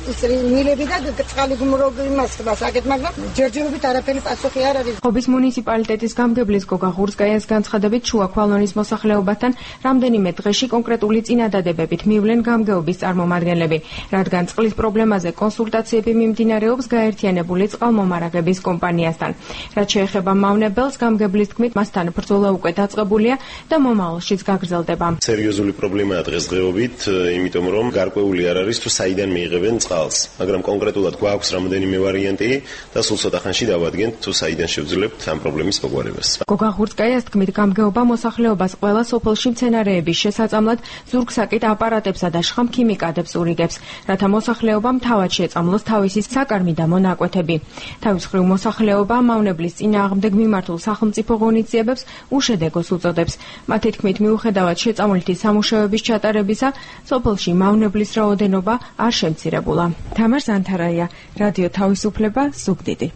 მილები და წყალი იმას ხდასაკეთ, მაგრამ ჯერჯერობით არაფერი პასუხი არ არის. ხობის მუნიციპალიტეტის გამგებლის გოგა ღურსკაიას განცხადებით, შუა ქვალონის მოსახლეობასთან რამდენიმე დღეში კონკრეტული წინადადებებით მივლენ გამგეობის წარმომადგენლები, რადგან წყლის პრობლემაზე კონსულტაციები მიმდინარეობს გაერთიანებული წყალმომარაგების კომპანიასთან. რაც შეეხება მავნებელს, გამგებლის თქმით, მასთან ბრძოლა უკვე დაწყებულია და მომავალშიც გაგრძელდება. სერიოზული პრობლემაა დღესდღეობით, იმიტომ რომ გარკვეული არ არის თუ საიდან მიიღებენ წყალს, მაგრამ კონკრეტულად გვაქვს რამდენიმე ვარიანტი და სულ ცოტა ხანში დავადგენთ თუ საიდან შევძლებთ ამ პრობლემის მოგვარებას. გოგა ღურსკაიას თქმით, გამგეობა მოსახლეობას ყველა სოფელში მცენარეების შესაძამლად ზურგსაკით აპარატებსა და შხამ ქიმიკატებს ურიგებს, რათა მოსახლეობამ თავად შეწამლოს თავისი საკარმი და მონაკვეთები. თავის მხრივ მოსახლეობა მავნებლის წინააღმდეგ მიმართულ სახელმწიფო ღონისძიებებს უშედეგოს უწოდებს. მათი თქმით, მიუხედავად შეწამლითი სამუშაოების ჩატარებისა, სოფელში მავნებლის რაოდენობა არ შემცირებულა. თამარ ზანთარაია, რადიო თავისუფლება, ზუგდიდი.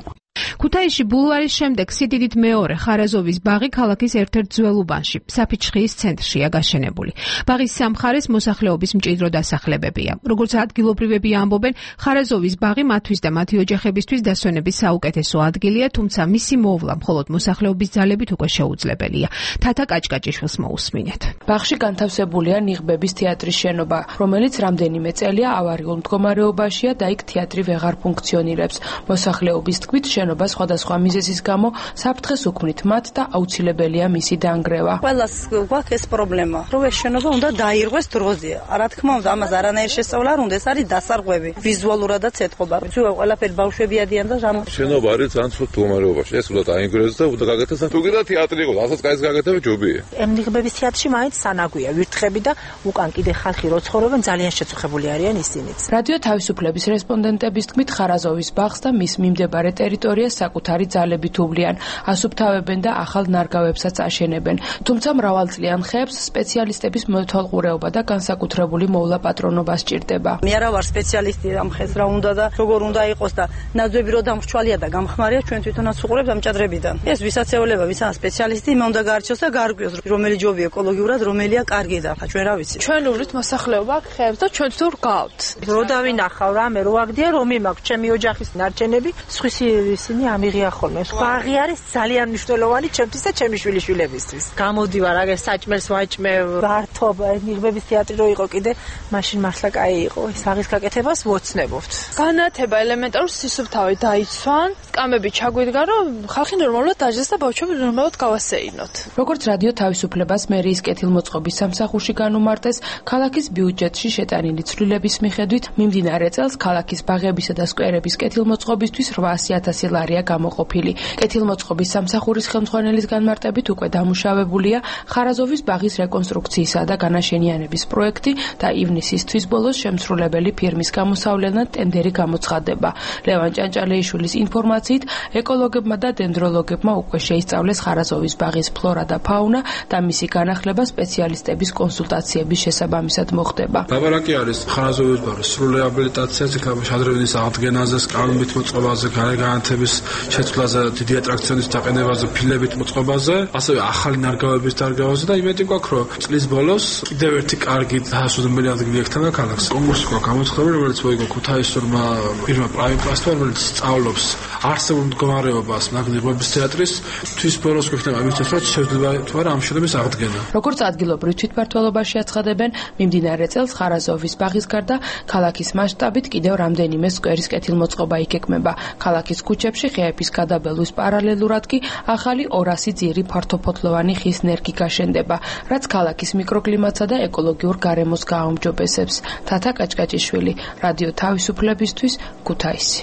ქუთაისში ბულვარის შემდეგ სიდიდით მეორე ხარაზოვის ბაღი ქალაქის ერთ-ერთ ძველ უბანში, საფიჩხიის ცენტრშია გაშენებული. ბაღის სამხარეს მოსახლეობის მჭიდრო დასახლებებია. როგორც ადგილობრივები ამბობენ, ხარაზოვის ბაღი მათთვის და მათი ოჯახებისთვის დასვენების საუკეთესო ადგილია, თუმცა მისი მოვლა მხოლოდ მოსახლეობის ძალებით უკვე შეუძლებელია. თათა კაჭკაჭიშვილს მოусმინეთ. ბაღში განთავსებულია ნიღბების თეატრის შენობა, რომელიც რამდენიმე წელია ავარიულ მდგომარეობაშია და იქ თეატრი ვეღარ ფუნქციონირებს. მოსახლეობის თქმით, შენობა სხვადასხვა მიზეზის გამო საფრთხეს უქმნით მათ და აუცილებელია მისი დანგრევა. ყველას გვაქვს ეს პრობლემა, რომ ეს შენობა უნდა დაირღვეს დროზე. რა თქმა უნდა, ამას არანაირი შესწავლა არ უნდა, ეს არის დასარღვევი. ვიზუალურადაც ეთყობა. ცუა ყველაფერი ბავშვები ადიან და შენობა არის ძალიან ცუდ მდგომარეობაში. ეს უნდა დაინგრევდეს და უნდა გაკეთდეს. თუ კიდე თეატრი იყო, ასაც კაის გაკეთება ჯობია. ნიღბების თეატრში მაინც სანაგვია ვირთხები და უკან კიდე ხალხი რო ცხოვრობენ, ძალიან შეწუხებული არიან ისინიც. რადიო თავისუფლების რესპონდენტების თქმით, ხარაზოვის ბაღს და მის მიმდებარე ტერიტორიას საკუთარი ძალებით უვლიან, ასუფთავებენ და ახალ ნარგავებსაც აშენებენ. თუმცა მრავალწლიან ხეებს სპეციალისტების მოთვალყურეობა და განსაკუთრებული მოვლა პატრონობა სჭირდება. მე არა ვარ სპეციალისტი ამ ხეს რა უნდა და როგორ უნდა იყოს და ნაძვები რო დამრჩვალია და გამხმარია, ჩვენ თვითონაც უყურებთ ამ ჭადრებიდან. ეს ვისაც ეოლება, ვისაც სპეციალისტი, მე უნდა გაარჩიოს და გაარკვიოს, რომელი ჯობია ეკოლოგიურად, რომელია კარგი და ჩვენ რა ვიცი. ჩვენ უვლით მოსახლეობა ხეებს და ჩვენ თუ რგავთ. რო დავინახავ რამე რო აგდია, რომ იმაქვს ჩემი ოჯახის ნარჩენები, სხვისი ისინი ამიღია ხოლმე. ბაღი არის ძალიან მნიშვნელოვანი ჩემთვის და ჩემი შვილიშვილებისთვის. გამოდივარ, აგერ საჭმელს ვაჭმევ, გართობ, ნიღბების თეატრი რო იყო კიდე, მაშინ მართლა კაი იყო. ეს ბაღის გაკეთებას ვოცნებობთ. განათება ელემენტარულ სისუფთავი დაიცვან, სკამები ჩაგვიდგა, რომ ხალხი ნორმალურად დაჯდეს და ბავშვები ნორმალურად გავასეირნოთ. როგორც რადიო თავისუფლებას მერიის კეთილმოწყობის სამსახურში განუმარტეს, ქალაქის ბიუჯეტში შეტანილი ცვლილების მიხედვით მიმდინარე წელს ქალაქის ბაღებისა და სკვერების კეთილმოწყობისთვის 800,000 ლარია გამოყოფილი. კეთილმოწყობის სამსახურის ხელმძღვანელის განმარტებით უკვე დამუშავებულია ხარაზოვის ბაღის რეკონსტრუქციისა და განაშენიანების პროექტი და ივნისის თვის ბოლოს შემსრულებელი ფირმის გამოსავლენად ტენდერი გამოცხადდება. ლევან ჭანჭალეიშვილის ინფორმაციით, ეკოლოგებმა და დენდროლოგებმა უკვე შეისწავლეს ხარაზოვის ბაღის ფლორა და ფაუნა და მისი განახლება სპეციალისტების კონსულტაციების შესაბამისად მოხდება. ლაბორატორი არის ხარაზოვის ბაღის სრულ რეაბილიტაციაზე, შადრევის აღდგენაზე, სკამებით მოწყობაზე, განათების შეცვლაზე, დიდი ატრაქციონის დაყენებაზე, ფილებით მოწყობაზე, ასევე ახალი ნარგავების დარგავაზე და იმედი გვაქვს, რომ წლის ბოლოს კიდევ ერთი კარგი დაასრულებელი ადგილი ექთანა ქალაქს. კონკურსი გვაქვს გამოცხადებული, რომელიც მოიგო ქუთაისურმა პირმა პრაიმ პლასტმა, რომელიც სწავლობს არსებულ მდგომარეობას მაგნიტების თეატრის თვის ბოლოს გვექნება მისთვის, რომ შეიძლება თუ არა ამ შენობის აღდგენა. როგორც ადგილობრივ თვითმმართველობაში აცხადებენ, მიმდინარე წელს ხარაზოვის ბაღის გარდა ქალაქის მასშტაბით კიდევ რამდენიმე სკვერის კეთილმოწყობა იგეგმება. ქალაქის ქუჩებში ხეების გადაბელვის პარალელურად კი ახალი 200 ძირი ფართოფოთლოვანი ხის ნერგი გაშენდება, რაც ქალაქის მიკროკლიმატსა და ეკოლოგიურ გარემოს გააუმჯობესებს. თათა კაჭკაჭიშვილი, რადიო თავისუფლებისთვის, ქუთაისი.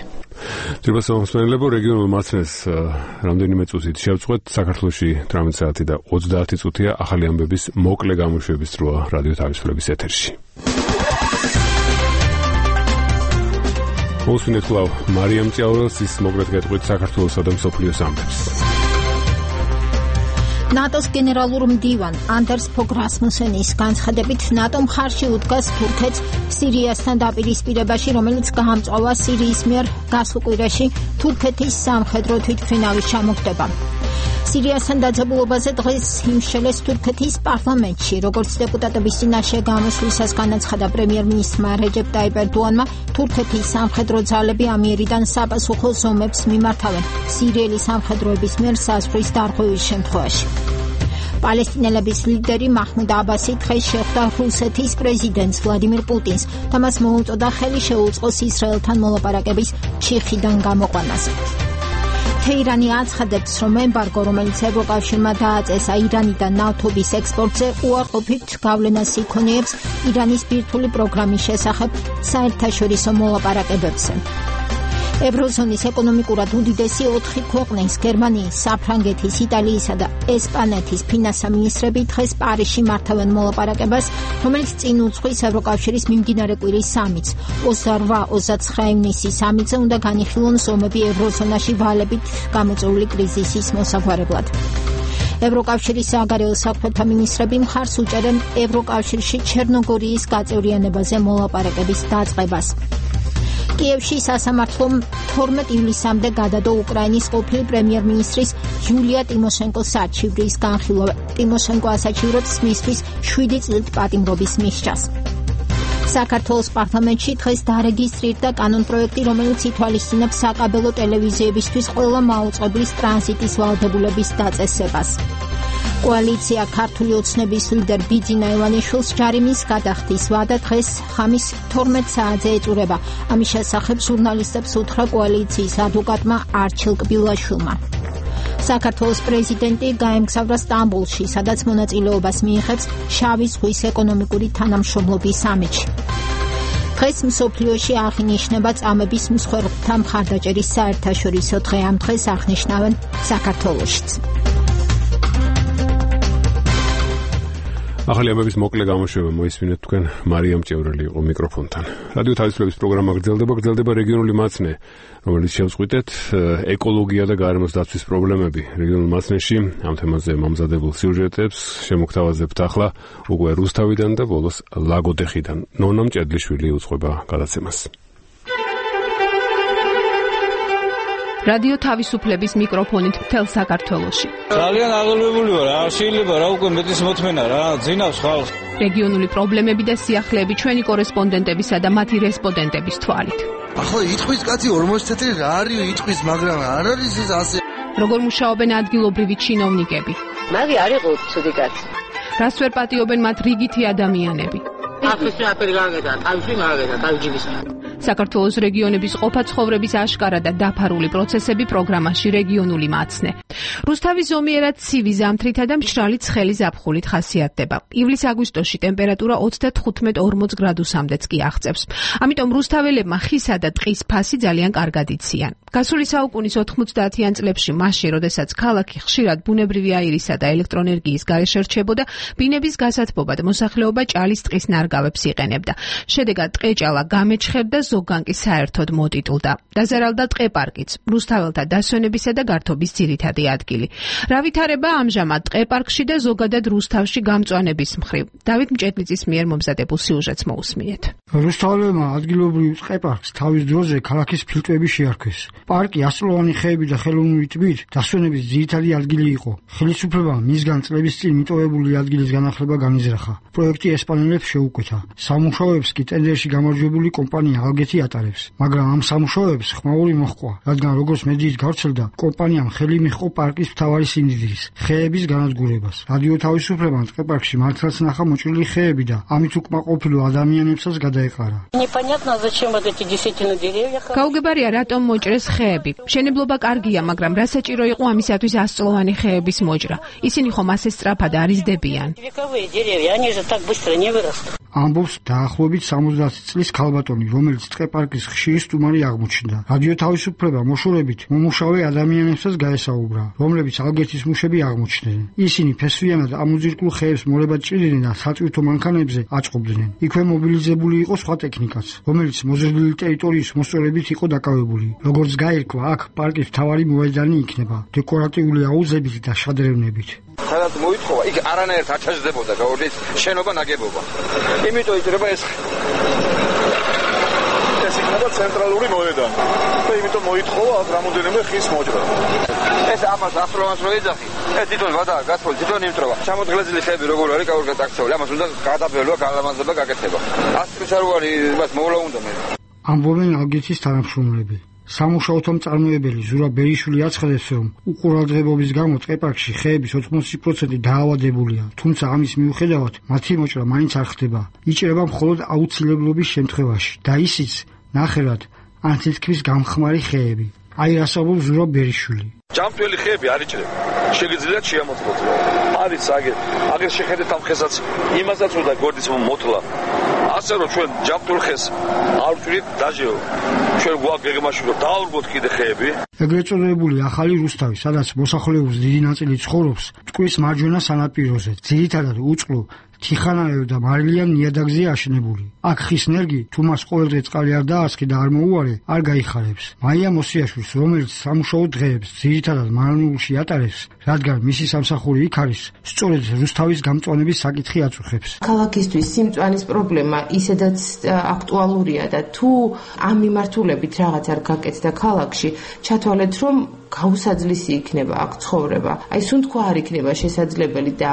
ძირფას მომსმენელებო რეგიონულ მაცნეს რამდენიმე წუთით შევწყვეთ. საქართველოში 18 საათი და 30 წუთია ახალი ამბების მოკლე გამოშვების დროა რადიო თავისუფლების ეთერში. მოსვინეთ კვლავ მარიამ ჭიაურელს ის მოკლედ გეტყვით საქართველოსა და მსოფლიოს ამბებს. ნატოს გენერალურ მდივან ანდერს ფოგ რასმუსენის განცხადებით ნატო მხარში უდგას თურქეთს სირიასთან დაპირისპირებაში, რომელიც გაამწვავა სირიის მიერ გასულ კვირაში თურქეთის სამხედრო თვითმფრინავის ჩამოგდება. სირიასთან დაძაბულობაზე დღეს იმშელეს თურქეთის პარლამენტში, როგორც დეპუტატების წინაშე გამოსვლისას განაცხადა პრემიერ-მინისტრმა რეჯეპ ტაიპ ერდოანმა, თურქეთის სამხედრო ძალები ამიერიდან საპასუხო ზომებს მიმართავენ სირიელი სამხედროების მიერ საზღვრის დარღვევის შემთხვევაში. პალესტინელების ლიდერი მაჰმუდ აბასი დღეს შეხვდა რუსეთის პრეზიდენტს ვლადიმირ პუტინს და მას მოუწოდა ხელი შეუწყოს ისრაელთან მოლაპარაკების ჩიხიდან გამოყვანას. თეირანი აცხადებს, რომ ემბარგო, რომელიც ევროკავშირმა დააწესა ირანიდან ნავთობის ექსპორტზე, უარყოფით გავლენას იქონიებს ირანის ბირთვული პროგრამის შესახებ საერთაშორისო მოლაპარაკებებზე. ევროზონის ეკონომიკურად უდიდესი 4 ქვეყნის გერმანიის, საფრანგეთის, იტალიისა და ესპანეთის ფინანსთა მინისტრები დღეს პარიზში მართავენ მოლაპარაკებას, რომელიც წინ უძღვის ევროკავშირის მიმდინარე კვირის სამიტს. 28-29 ივნისის სამიტზე უნდა განიხილონ ზომები ევროზონაში ვალებით გამოწვეული კრიზისის მოსაგვარებლად. ევროკავშირის საგარეო საქმეთა მინისტრები მხარს უჭერენ ევროკავშირში ჩერნოგორიის გაწევრიანებაზე მოლაპარაკების დაწყებას. კიევში სასამართლომ 12 ივლისამდე გადადო უკრაინის ყოფილი პრემიერ-მინისტრის იულია ტიმოშენკოს საჩივრის განხილვა. ტიმოშენკო ასაჩივრებს მისთვის 7 წლით პატიმრობის მისჯას. საქართველოს პარლამენტში დღეს დარეგისტრირდა კანონპროექტი, რომელიც ითვალისწინებს საკაბელო ტელევიზიებისთვის ყველა მაუწყებლის ტრანზიტის ვალდებულების დაწესებას. კოალიცია ქართული ოცნების ლიდერ ბიძინა ივანიშვილს ჯარიმის გადახდის ვადა დღეს ხამის 12 საათზე ეწურება. ამის შესახებ ჟურნალისტებს უთხრა კოალიციის ადვოკატმა არჩილ კბილაშვილმა. საქართველოს პრეზიდენტი გაემგზავრა სტამბოლში, სადაც მონაწილეობას მიიღებს შავი ზღვის ეკონომიკური თანამშრომლობის სამიტში. დღეს მსოფლიოში აღინიშნება წამების მსხვერპლთა მხარდაჭერის საერთაშორისო დღე. ამ დღეს აღნიშნავენ საქართველოშიც. ახალი ამბების მოკლე გამოშვება მოისმინეთ თქვენ მარიამ ჭიაურელი იყო მიკროფონთან. რადიო თავისუფლების პროგრამა გრძელდება რეგიონული მაცნე, რომელიც შევწყვიტეთ ეკოლოგია და გარემოს დაცვის პრობლემები რეგიონულ მაცნეში. ამ თემაზე მომზადებულ სიუჟეტებს შემოგთავაზებთ ახლა უკვე რუსთავიდან და ბოლოს ლაგოდეხიდან. ნონა მჭედლიშვილი უძღვება გადაცემას. რადიო თავისუფლების მიკროფონით მთელ საქართველოში. ძალიან აღელვებული ვარ, არ შეიძლება რა უკვე მეტის მოთმენა რა, ძინავს ხალხს. რეგიონული პრობლემები და სიახლეები ჩვენი კორესპონდენტებისა და მათი რესპონდენტების თვალით. ახლა იტყვის კაცი 40 წელი რა არის იტყვის, მაგრამ არ არის ეს ასე. როგორ მუშაობენ ადგილობრივი ჩინოვნიკები? მაგი არ იყო ცუდი კაცი. რას ვერ პატიობენ მათ რიგითი ადამიანები? ახლა აფერი გაგედა, თავში მაგედა, თავჯიბის. საქართველოს რეგიონების ყოფა-ცხოვრების აშკარა და დაფარული პროცესები პროგრამაში რეგიონული მაცნე. რუსთავი ზომიერად ცივი ზამთრითა და მშრალი ცხელი ზაფხულით ხასიათდება. ივლის-აგვისტოში ტემპერატურა 35-40 გრადუსამდეც კი აღწევს. ამიტომ რუსთაველებმა ხისა და ტყის ფასი ძალიან კარგად იციან. გასული საუკუნის 90-იან წლებში, მაშინ, როდესაც ქალაქი ხშირად ბუნებრივი აირისა და ელექტროენერგიის გარეშე რჩებოდა, ბინების გასათბობად მოსახლეობა ჭალის ტყის ნარგავებს იყენებდა. შედეგად ტყეჭალა გამეჩხერდა, ზოგან კი საერთოდ მოტიტულდა. დაზარალდა ტყეპარკიც, რუსთაველთა დასვენებისა და გართობის ძირითადი ადგილი. რა ვითარება ამჟამად ტყეპარკში და ზოგადად რუსთავში გამწვანების მხრივ. დავით მჭედლიძის მიერ მომზადებულ სიუჟეტს მოусმინეთ. რუსთაველებმა ადგილობრივ ტყეპარკს თავის დროზე ქალაქის ფილტვები შეარქვეს. პარკი ასწლოვანი ხეები და ხელოვნური ტბით დასვენების ძირითადი ადგილი იყო. ხელისუფლებამ მისგან წლების წინ მიტოვებული ადგილის განახლება განიზრახა. პროექტი ესპანელებს შეუკვეთა. სამუშაოებს კი ტენდერში გამარჯვებული კომპანია ალგეთი ატარებს. მაგრამ ამ სამუშაოებს ხმაური მოჰყვა, რადგან როგორც მედიით გავრცელდა, კომპანიამ ხელი მიჰყო პარკის მთავარი სინდისის, ხეების განადგურებას. რადიო თავისუფლებამ ტყეპარკში მართლაც ნახა მოჭრილი ხეები და ამით უკმაყოფილო ადამიანებსაც გადაეყარა. გაუგებარია რატომ მოჭრეს ხეები. მშენებლობა კარგია, მაგრამ რა საჭირო იყო ამისათვის ასწლოვანი ხეების მოჭრა? ისინი ხომ ასე სწრაფად არ იზრდებიან. ამბობს დაახლოებით 70 წლის ქალბატონი, რომელიც ტყეპარკის ხშირი სტუმარი აღმოჩნდა. რადიო თავისუფლება მოშორებით მომუშავე ადამიანებსაც გაესაუბრა, რომლებიც ალგეთის მუშები აღმოჩნდნენ. ისინი ფესვიანად ამოძირკულ ხეებს მორებად ჭრიდნენ და საწვირთო მანქანებზე აწყობდნენ. იქვე მობილიზებული იყო სხვა ტექნიკაც, რომელიც მოზრდილი ტერიტორიის მოსწორებით იყო დაკავებული. როგორც გაირკვა, აქ პარკის მთავარი მოედანი იქნება, დეკორატიული აუზებით და შადრევნებით. სადაც მოითხოვა, იქ არანაირად არ ჩაჯდებოდა გაურდის შენობა ნაგებობა. იმიტომ იჭრება ეს იქნება ცენტრალური მოედანი. და იმიტომ მოითხოვა აქ რამოდენიმე ხის მოჭრა. ეს ამას ახლოვანს რო ეძახი. ეს თვითონ ვადაა გასული, თვითონ იმტრობა. ჩამოდგლეზილი ხეები როგორ არის გაურგა წაქცეული. ამას უნდა გადაბელვა, გალამაზება, გაკეთება. ასტრიჩაროვანი მას მოვლა უნდა მე. ამბობენ ალგეთის თანამშრომლები. სამუშაოთა მწარმოებელი ზურაბ ბერიშვილი აცხადებს, რომ უყურადღებობის გამო ტყეპარკში ხეების 80% დაავადებულია, თუმცა ამის მიუხედავად მათი მოჭრა მაინც არ ხდება. იჭრება მხოლოდ აუცილებლობის შემთხვევაში და ისიც ნახევრად ან თითქმის გამხმარი ხეები. აი ასაბობს ზურაბ ბერიშვილი. ჯამთველი ხეები არ იჭრება. შეგიძლიათ შეამოწმოთ. არის აგერ შეხედეთ ამ ხესაც, იმასაც უნდა გორდის მოტლა. ასე რომ ჩვენ ჯამთველ ხეს არ ვჭრით დაჟეო. ჩვენ გვაგეგმაში რომ დააურბოთ კიდე ხეები. ეგრეთ წოდებული ახალი რუსთავი, სადაც მოსახლეობის დიდი ნაწილი ცხოვრობს, მტკვრის მარჯვენა სანაპიროზე, ძირითადად უწყლო თიხანაევ და მარილიან ნიადაგზეა აშენებული. აქ ხის ნერგი, თუ მას ყოველდღე წყალი არ დაასხი და არ მოუარე, არ გაიხარებს. მაია მოსიაშვილს, რომელიც სამუშაო დღეებს ძირითადად მარანულში ატარებს, რადგან მისი სამსახური იქ არის, სწორედ რუსთავის გამწვანების საკითხი აწუხებს. ქალაქისთვის სიმწვანის პრობლემა ისედაც აქტუალურია და თუ ამ მიმართულებით რაღაც არ გაკეთდა ქალაქში, ჩათვალეთ, რომ გაუსაძლისი იქნება აქ ცხოვრება. აი სუნთქვა არ იქნება შესაძლებელი და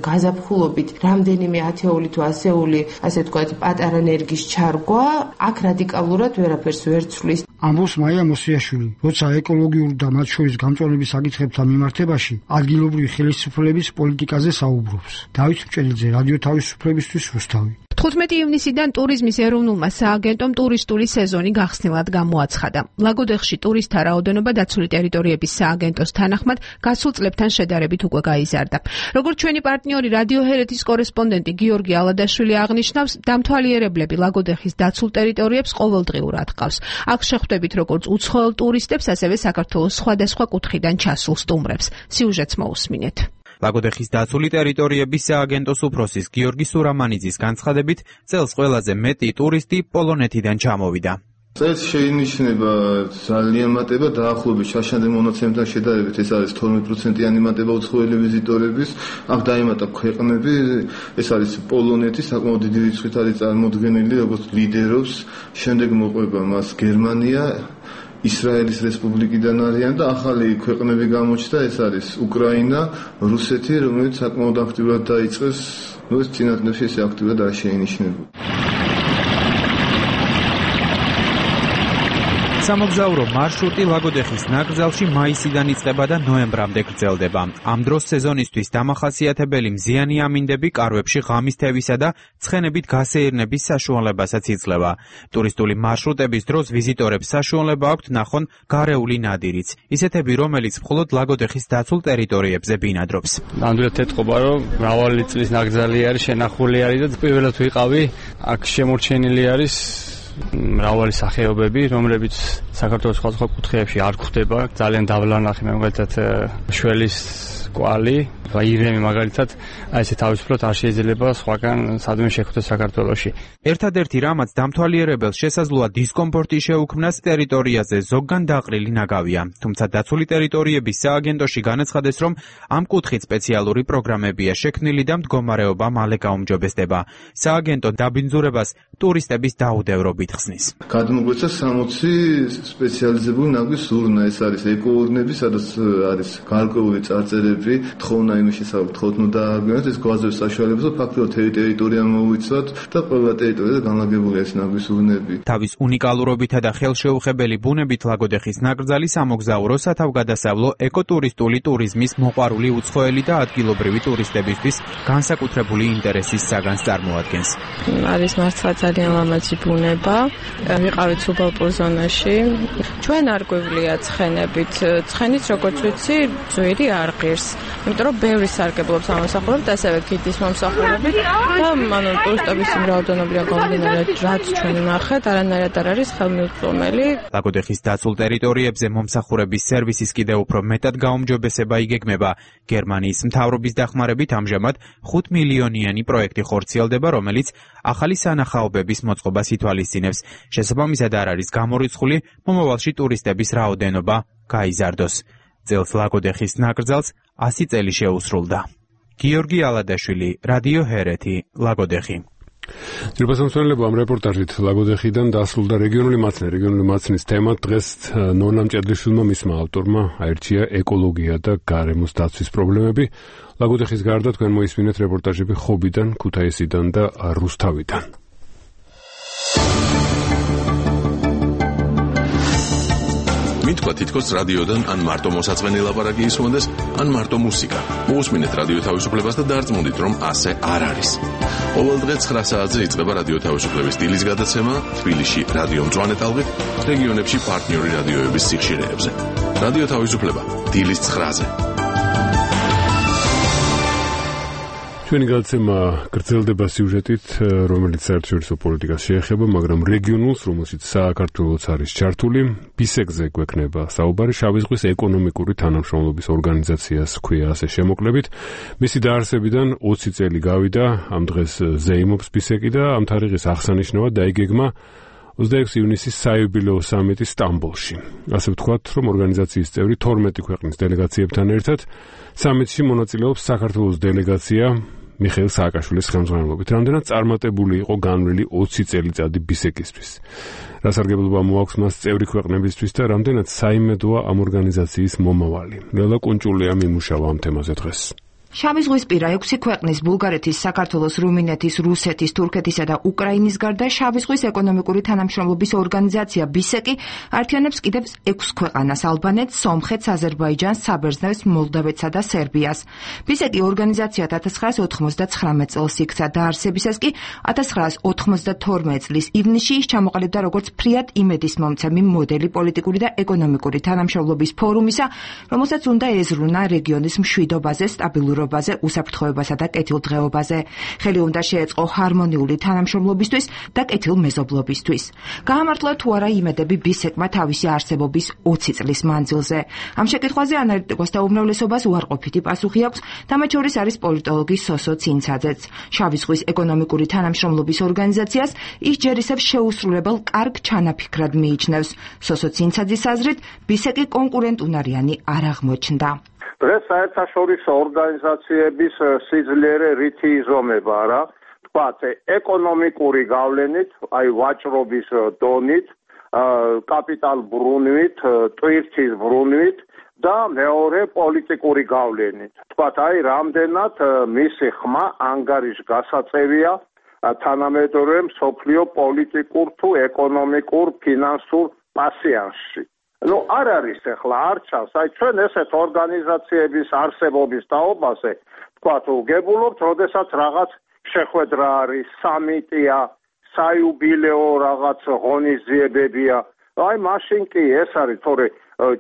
გაზაფხულობით რამდენიმე ათეული თუ ასეული, ასე ვთქვათ, პატარა ნერგის ჩარგვა აქ რადიკალურად ვერაფერს ვერ ცვლის. ამბობს მაია მოსიაშვილი, როცა ეკოლოგიურ და მათ შორის გამწვანების საკითხებთან მიმართებაში ადგილობრივი ხელისუფლების პოლიტიკაზე საუბრობს. დავით მჭედლიძე, რადიო თავისუფლებისთვის რუსთავი. 15 ივნისიდან ტურიზმის ეროვნულმა სააგენტომ ტურისტული სეზონი გახსნილად გამოაცხადა. ლაგოდეხში ტურისტთა რაოდენობა დაცული ტერიტორიების სააგენტოს თანახმად გასულ წლებთან შედარებით უკვე გაიზარდა. როგორც ჩვენი პარტნიორი რადიო ჰერეთის კორესპონდენტი გიორგი ალადაშვილი აღნიშნავს, დამთვალიერებლები ლაგოდეხის დაცულ ტერიტორიებს ყოველდღიურად ჰყავს. აქ შეხვდებით როგორც უცხოელ ტურისტებს, ასევე საქართველოს სხვადასხვა კუთხიდან ჩასულ სტუმრებს. სიუჟეტს მოусმინეთ. ლაგოდეხის დაცული ტერიტორიების სააგენტოს უფროსის გიორგი სურამანიძის განცხადებით, წელს ყველაზე მეტი ტურისტი პოლონეთიდან ჩამოვიდა. წელს შეინიშნება ძალიან მატება დაახლოებით შაშანე მონაცემთან შედარებით, ეს არის 12%-იანი მატება უცხოელი ვიზიტორების. აქ დაემატა ქვეყნები, ეს არის პოლონეთი, საკმაოდ დიდი რიცხვით არის წარმოდგენილი, როგორც ლიდერობს, შემდეგ მოყვება მას გერმანია, ისრაელის რესპუბლიკიდან არიან და ახალი ქვეყნები გამოჩნდა, ეს არის უკრაინა, რუსეთი, რომელიც საკმაოდ აქტიურად დაიწყეს, ეს წინადადებში ესე აქტიურად არ შეინიშნება. სამოგზაურო მარშრუტი ლაგოდეხის ნაკრძალში მაისიდან იწყება და ნოემბრამდე გრძელდება. ამ დროს სეზონისთვის დამახასიათებელი მზიანი ამინდები კარვებში ღამის თევისა და ცხენებით გასეირნების საშუალებასაც იძლევა. ტურისტული მარშრუტების დროს ვიზიტორებს საშუალება აქვთ ნახონ გარეული ნადირიც, ისეთები, რომელიც მხოლოდ ლაგოდეხის დაცულ ტერიტორიებზე ბინადრობს. ნამდვილად ეთყობა, რომ მრავალი წლის ნაკრძალი არის, შენახული არის და პირველად ვიყავი, აქ შემორჩენილი არის მრავალი სახეობები, რომლებიც საქართველოს სხვადასხვა კუთხეებში არ გვხვდება. ძალიან დავლანახი, მაგალითად შველის კვალი, ირემი მაგალითად, აი ესე თავისუფლად არ შეიძლება სხვაგან სადმე შეხვდეს საქართველოში. ერთადერთი რამაც დამთვალიერებელს შესაძლოა დისკომფორტი შეუქმნას ტერიტორიაზე ზოგგან დაყრილი ნაგავია. თუმცა დაცული ტერიტორიების სააგენტოში განაცხადეს, რომ ამ კუთხით სპეციალური პროგრამებია შექმნილი და მდგომარეობა მალე გაუმჯობესდება. სააგენტო დაბინძურებას ტურისტების დაუდევრობით ხსნის. გადმოგვეცა 60 სპეციალიზებული ნაგვის ზურნა, ეს არის ეკოურნები, სადაც არის გარკვეული წარწერები, თხოვნა იმის შესახებ, თქოთ ნუ დააგვიანოთ ეს გვაზრების საშუალებას, ფაქტობრივად ტერიტორია მოვიცვათ და ყველა ტერიტორიაზე განლაგებულია ეს ნაგვის ზურნები. თავის უნიკალურობითა და ხელშეუხებელი ბუნებით ლაგოდეხის ნაკრძალი სამოგზაურო, სათავგადასავლო, ეკოტურისტული ტურიზმის მოყვარული უცხოელი და ადგილობრივი ტურისტებისთვის განსაკუთრებული ინტერესის საგანს წარმოადგენს. არის მართლა ძალიან ლამაზი ბუნება. ვიყავით სუბალპურ ზონაში. ჩვენ არ გვევლია ცხენებით. ცხენიც როგორც ვიცი, ძვირი არ ღირს. იმიტომ რომ ბევრი სარგებლობს ამოსახულებით, ასევე გიდის მომსახურებით და ტურისტების რაოდენობიდან გამომდინარე, რაც ჩვენ ნახეთ, არანაირად არ არის ხელმიუწვდომელი. ლაგოდეხის დაცულ ტერიტორიებზე მომსახურების სერვისის კიდევ უფრო მეტად გაუმჯობესება იგეგმება. გერმანიის მთავრობის დახმარებით ამჟამად 5 მილიონიანი პროექტი ხორციელდება, რომელიც ახალი სანახაობების მოწყობას ითვალისწინებს. შესაბამისად არ არის გამორიცხული მომავალში ტურისტების რაოდენობა გაიზარდოს. წელს ლაგოდეხის ნაკრძალს 100 წელი შეუსრულდა. გიორგი ალადაშვილი, რადიო ჰერეთი, ლაგოდეხი. ძირფასამცველებო ამ რეპორტაჟით ლაგოდეხიდან დასრულდა რეგიონული მაცნის თემა. დღეს ნონა მჭედლიშვილმა მისმა ავტორმა აირჩია ეკოლოგია და გარემოს დაცვის პრობლემები. ლაგოდეხის გარდა თქვენ მოისმინეთ რეპორტაჟები ხობიდან, ქუთაისიდან და რუსთავიდან. მითქვა თითქოს რადიოდან ან მარტო მოსაწყენი ლაპარაკი ისმოდეს, ან მარტო მუსიკა. მოусმინეთ რადიო თავისუფლებას და დარწმუნდით, რომ ასე არ არის. ყოველ დღე 9 საათზე იწყება რადიო თავისუფლების დილის გადაცემა თბილისში რადიო მწვანე ტალღით, რეგიონებში პარტნიორი რადიოების სიხშირეებზე. რადიო თავისუფლება დილის 9-ზე. ჩვენი გადაცემა გრძელდება სიუჟეტით, რომელიც საერთაშორისო პოლიტიკას შეეხება, მაგრამ რეგიონულს, რომელშიც საქართველოც არის ჩართული. ბისეკზე გვექნება საუბარი, შავი ზღვის ეკონომიკური თანამშრომლობის ორგანიზაციას ჰქვია ასე შემოკლებით. მისი დაარსებიდან 20 წელი გავიდა, ამ დღეს ზეიმობს ბისეკი და ამ თარიღის აღსანიშნავად დაიგეგმა 26 ივნისის საიუბილეო სამიტი სტამბოლში. ასე ვთქვათ, რომ ორგანიზაციის წევრი 12 ქვეყნის დელეგაციებთან ერთად სამიტში მონაწილეობს საქართველოს დელეგაცია მიხეილ სააკაშვილის ხელმძღვანელობით. რამდენად წარმატებული იყო განვლილი 20 წელიწადი ბისეკისთვის. რა სარგებლობა მოაქვს მას წევრი ქვეყნებისთვის და რამდენად საიმედოა ამ ორგანიზაციის მომავალი. ლელა კუნჭულია მიმუშავა ამ თემაზე დღეს. შავი ზღვისპირა 6 ქვეყნის ბულგარეთის, საქართველოს, რუმინეთის, რუსეთის, თურქეთისა და უკრაინის გარდა შავი ზღვის ეკონომიკური თანამშრომლობის ორგანიზაცია ბისეკი ართიანებს კიდევ 6 ქვეყანას: ალბანეთს, სომხეთს, აზერბაიჯანს, საბერძნეთს, მოლდავეთსა და სერბიას. ბისეკი ორგანიზაცია 1999 წელს იქცა, დაარსებისას კი 1992 წლის ივნისში ის ჩამოყალიბდა როგორც ფრიად იმედის მომცემი მოდელი პოლიტიკური და ეკონომიკური თანამშრომლობის ფორუმისა, რომელსაც უნდა ეზრუნა რეგიონის მშვიდობაზე, სტაბილურობაზე, უსაფრთხოებასა და კეთილდღეობაზე. ხელი უნდა შეეწყო ჰარმონიული თანამშრომლობისთვის და კეთილმეზობლობისთვის. გაამართლა თუ არა იმედები ბისეკმა თავისი არსებობის 20 წლის მანძილზე. ამ შეკითხვაზე ანალიტიკოსთა უმრავლესობას უარყოფითი პასუხი აქვს და მათ შორის არის პოლიტოლოგი სოსო ცინცაძეც. შავი ზღვის ეკონომიკური თანამშრომლობის ორგანიზაციას ის ჯერ ისევ შეუსრულებელ კარგ ჩანაფიქრად მიიჩნევს. სოსო ცინცაძის აზრით, ბისეკი კონკურენტუნარიანი არ აღმოჩნდა. დღეს საერთაშორისო ორგანიზაციების სიძლიერე რითი იზომება რა? თქვათ, ეკონომიკური გავლენით, აი ვაჭრობის დონით, კაპიტალ ბრუნვით, ტვირთის ბრუნვით და მეორე პოლიტიკური გავლენით. თქვათ, აი რამდენად მისი ხმა ანგარიშგასაწევია თანამედროვე მსოფლიო პოლიტიკურ თუ ეკონომიკურ ფინანსურ პასიანსში. არ არის ახლა არ ჩანს, აი ჩვენ ესეთ ორგანიზაციების არსებობის თაობაზე, თქვათ, გებულობთ, როდესაც რაღაც შეხვედრა არის, სამიტია, საიუბილეო რაღაც ღონისძიებებია. აი მაშინ კი ეს არის, თორე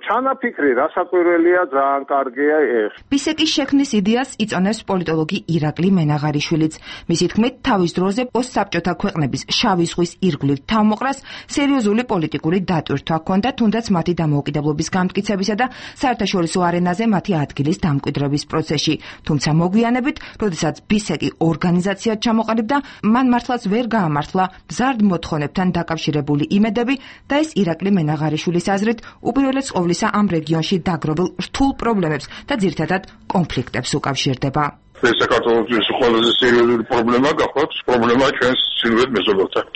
ჩანაფიქრი რასაკვირველია, ძალიან კარგია ეს. ბისეკის შექმნის იდეას იწონებს პოლიტოლოგი ირაკლი მენაღარიშვილიც. მისი თქმით, თავის დროზე პოსტსაბჭოთა ქვეყნების შავი ზღვის ირგვლივ თავმოყრას სერიოზული პოლიტიკური დატვირთვა ჰქონდა, თუნდაც მათი დამოუკიდებლობის გამტკიცებისა და საერთაშორისო არენაზე მათი ადგილის დამკვიდრების პროცესში. თუმცა მოგვიანებით, როდესაც ბისეკი ორგანიზაციად ჩამოყალიბდა, მან მართლაც ვერ გაამართლა მზარდ მოთხოვნებთან დაკავშირებული იმედები და ეს ირაკლი მენაღარიშვილის აზრით უპირველეს ყოვლისა ამ რეგიონში დაგროვილ რთულ პრობლემებს და ძირითადად კონფლიქტებს უკავშირდება. ეს საქართველოს ყველაზე სერიოზული პრობლემა გახლავთ, პრობლემა ჩვენს ჩრდილოეთ მეზობელთან.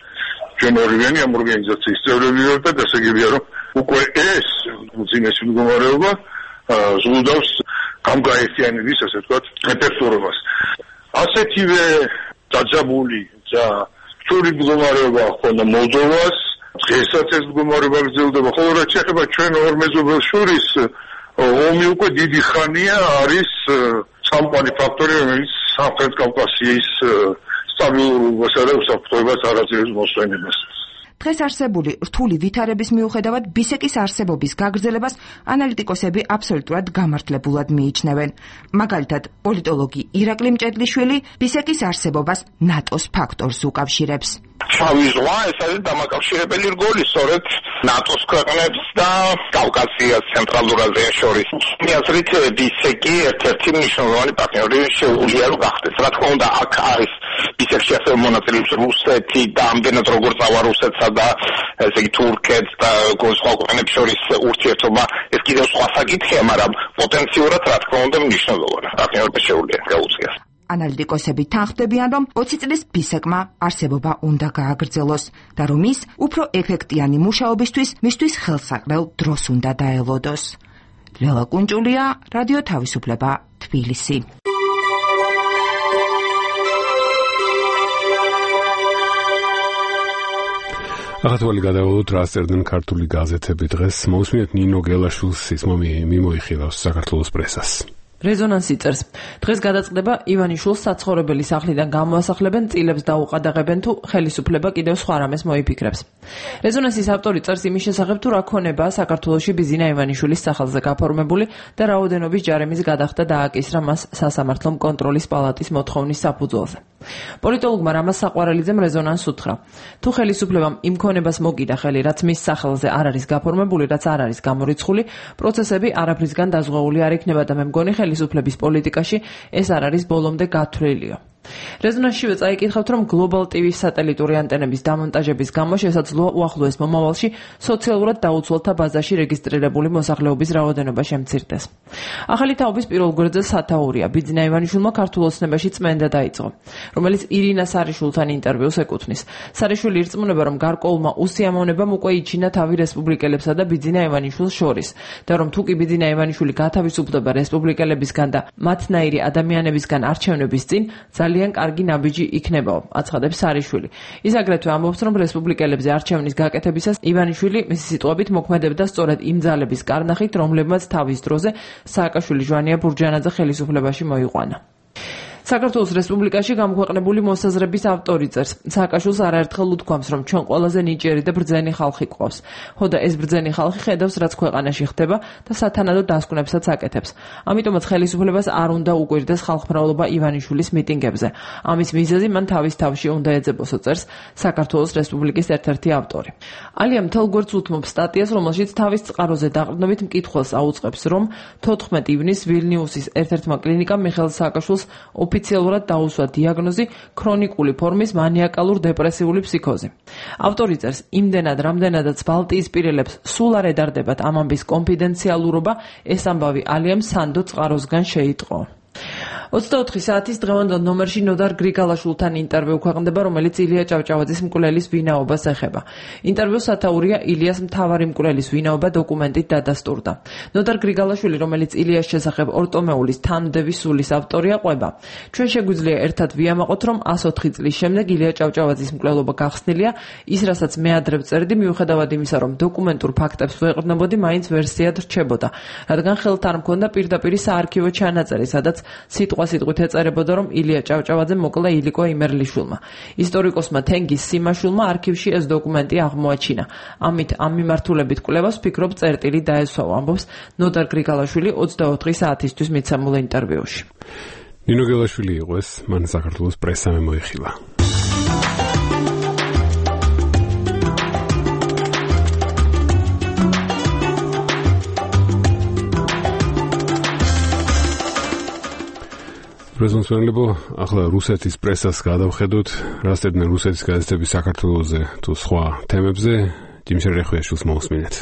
ჩვენ ორივენი ამ ორგანიზაციის წევრები ვართ და გასაგებია, რომ უკვე ეს უძინესი მდგომარეობა ზღუდავს გამგაერთიანების, ასე ვთქვათ, რეპერტუარობას. ასეთივე დაძაბული და რთული მდგომარეობა ჰქონდა მოლდოვას, დღესაც ეს მდგომარეობა გრძელდება, ხოლო რაც შეეხება ჩვენ ორ მეზობელს შორის, ომი უკვე დიდი ხანია არის სამყარო ფაქტორი, რომელიც სამხრეთ კავკასიის სტაბილურობასა და უსაფრთხოებას არ აძლევს მოსვენებას. დღეს არსებული რთული ვითარების მიუხედავად ბისეკის არსებობის გაგრძელებას ანალიტიკოსები აბსოლუტურად გამართლებულად მიიჩნევენ. მაგალითად, პოლიტოლოგი ირაკლი მჭედლიშვილი ბისეკის არსებობას ნატოს ფაქტორს უკავშირებს. შავი ზღვა ეს არის დამაკავშირებელი რგოლი სწორედ ნატოს ქვეყნებს და კავკასიას ცენტრალურ აზიას შორის. მე აზრით ბისეკი ერთ-ერთი მნიშვნელოვანი პარტნიორი შეუძლია რომ გახდეს. რა თქმა უნდა, აქ არის ბისეკში ასევე მონაწილეობს რუსეთი და ამდენად როგორც ავა რუსეთსა და ესე იგი თურქეთს და სხვა ქვეყნებს შორის ურთიერთობა ეს კიდევ სხვა საკითხია, მაგრამ პოტენციურად რა თქმა უნდა მნიშვნელოვანია. პარტნიორობა შეუძლია გაუწიოს. ანალიტიკოსები თანხმდებიან, რომ 20 წლის ბისეკმა არსებობა უნდა გააგრძელოს და რომ ის უფრო ეფექტიანი მუშაობისთვის მისთვის ხელსაყრელ დროს უნდა დაელოდოს. ლელა კუნჭულია, რადიო თავისუფლება, თბილისი. ახალ გადავიდოთ რა წერდნენ ქართული გაზეთები დღეს. მოусმინეთ ნინო გელაშვილს ის მიმოიხილავს საქართველოს პრესას. რეზონანსი წერს. დღეს გადაწყდება ივანიშვილს საცხოვრებელი სახლიდან გამოასახლებენ, წილებს დაუყადაღებენ თუ ხელისუფლება კიდევ სხვა რამეს მოიფიქრებს. რეზონანსის ავტორი წერს იმის შესახებ თუ რა ქონებაა საქართველოში ბიზინა ივანიშვილის სახელზე გაფორმებული და რაოდენობის ჯარემის გადახდა დააკისრა მას სასამართლო კონტროლის პალატის მოთხოვნის საფუძველზე. პოლიტოლოგმა რამაზ საყვარელიძემ რეზონანსს უთხრა. თუ ხელისუფლებამ იმ ქონებას მოგიდა ხელი, რაც მის სახელზე არ არის გაფორმებული, რაც არ არის გამორიცხული, პროცესები არაფრისგან დაზღვეული არ იქნება და მე მგონი ხელისუფლების პოლიტიკაში ეს არ არის ბოლომდე გათვლილიო. რეზონანსშივე წაიკითხავთ, რომ გლობალ ტივის სატელიტური ანტენების დამონტაჟების გამო შესაძლოა უახლოეს მომავალში სოციალურად დაუცველთა ბაზაში რეგისტრირებული მოსახლეობის რაოდენობა შემცირდეს. ახალი თაობის პირველ გვერდზე სათაურია. ბიძინა ივანიშვილმა ქართულ ოცნებაში წმენდა დაიწყო, რომელიც ირინა სარიშვილთან ინტერვიუს ეკუთვნის. სარიშვილი ირწმუნება, რომ გარკვეულმა უსიამოვნებამ უკვე იჩინა თავი რესპუბლიკელებსა და ბიძინა ივანიშვილს შორის და რომ თუ კი ბიძინა ივანიშვილი გათავისუფლდება რესპუბლიკელებისგან და მათნაირი ადამიანებისგან არჩევნების წინ ძალიან კარგი ნაბიჯი იქნებაო, აცხადებს სარიშვილი. ის აგრეთვე ამბობს, რომ რესპუბლიკელებზე არჩევნის გაკეთებისას ივანიშვილი მისი სიტყვებით მოქმედებდა სწორედ იმ ძალების კარნახით, რომლებმაც თავის დროზე სააკაშვილი ჟვანია ბურჯანაძე ხელისუფლებაში მოიყვანა. საქართველოს რესპუბლიკაში გამოქვეყნებული მოსაზრების ავტორი წერს, სააკაშვილს არაერთხელ უთქვამს, რომ ჩვენ ყველაზე ნიჭიერი და ბრძენი ხალხი გვყავს. ხო და ეს ბრძენი ხალხი ხედავს, რაც ქვეყანაში ხდება და სათანადო დასკვნებსაც აკეთებს. ამიტომაც ხელისუფლებას არ უნდა უკვირდეს ხალხმრავლობა ივანიშვილის მიტინგებზე. ამის მიზეზი მან თავის თავში უნდა ეძებოსო, წერს საქართველოს რესპუბლიკის ერთ-ერთი ავტორი. ალია მთელ გვერდს უთმობს სტატიას, რომელშიც თავის წყაროზე დაყრდნობით მკითხველს აუწყებს, რომ 14 ივნისს ვილნიუსის ერთ-ერთმა კლინიკამ მიხეილ სააკაშვილს ოფიციალურად დაუსვა დიაგნოზი ქრონიკული ფორმის მანიაკალურ დეპრესიული ფსიქოზი. ავტორი წერს, იმდენად რამდენადაც ბალტიისპირელებს სულ არ ედარდებათ ამ ამბის კონფიდენციალურობა, ეს ამბავი ალიამ სანდო წყაროსგან შეიტყო. 24 საათის დღევანდელ ნომერში ნოდარ გრიგალაშვილთან ინტერვიუ ქვეყნდება, რომელიც ილია ჭავჭავაძის მკვლელის ვინაობას ეხება. ინტერვიუს სათაურია ილიას მთავარი მკვლელის ვინაობა დოკუმენტით დადასტურდა. ნოდარ გრიგალაშვილი, რომელიც ილიას შესახებ ორტომეულის თანმდევი სულის ავტორია, ყვება. ჩვენ შეგვიძლია ერთად ვიამაყოთ, რომ 104 წლის შემდეგ ილია ჭავჭავაძის მკვლელობა გახსნილია, ის რასაც მე ადრე ვწერდი, მიუხედავად იმისა, რომ დოკუმენტურ ფაქტებს ვეყრდნობოდი, მაინც ვერსიად რჩებოდა, რადგან ხელთ არ მქონდა პირდაპირი საარქივო ჩანაწერი, სადაც სიტყვა სიტყვასიტყვით ეწერებოდა, რომ ილია ჭავჭავაძე მოკლა ილიკო იმერლიშვილმა. ისტორიკოსმა თენგის სიმაშვილმა არქივში ეს დოკუმენტი აღმოაჩინა. ამით ამ მიმართულებით კვლევას ფიქრობ წერტილი დაესვა, ამბობს ნოდარ გრიგალაშვილი 24 საათისთვის მიცემულ ინტერვიუში. ნინო გელაშვილი იყო ეს, მან საქართველოს პრესამ მოიხილა. პრეზიდენტებო, ახლა რუსეთის პრესას გადავხედოთ, რასტებდნენ რუსეთის გაზეთები საქართველოზე თუ სხვა თემებზე, ჯიმშერ რეხვიაშვილს მოусმინეთ.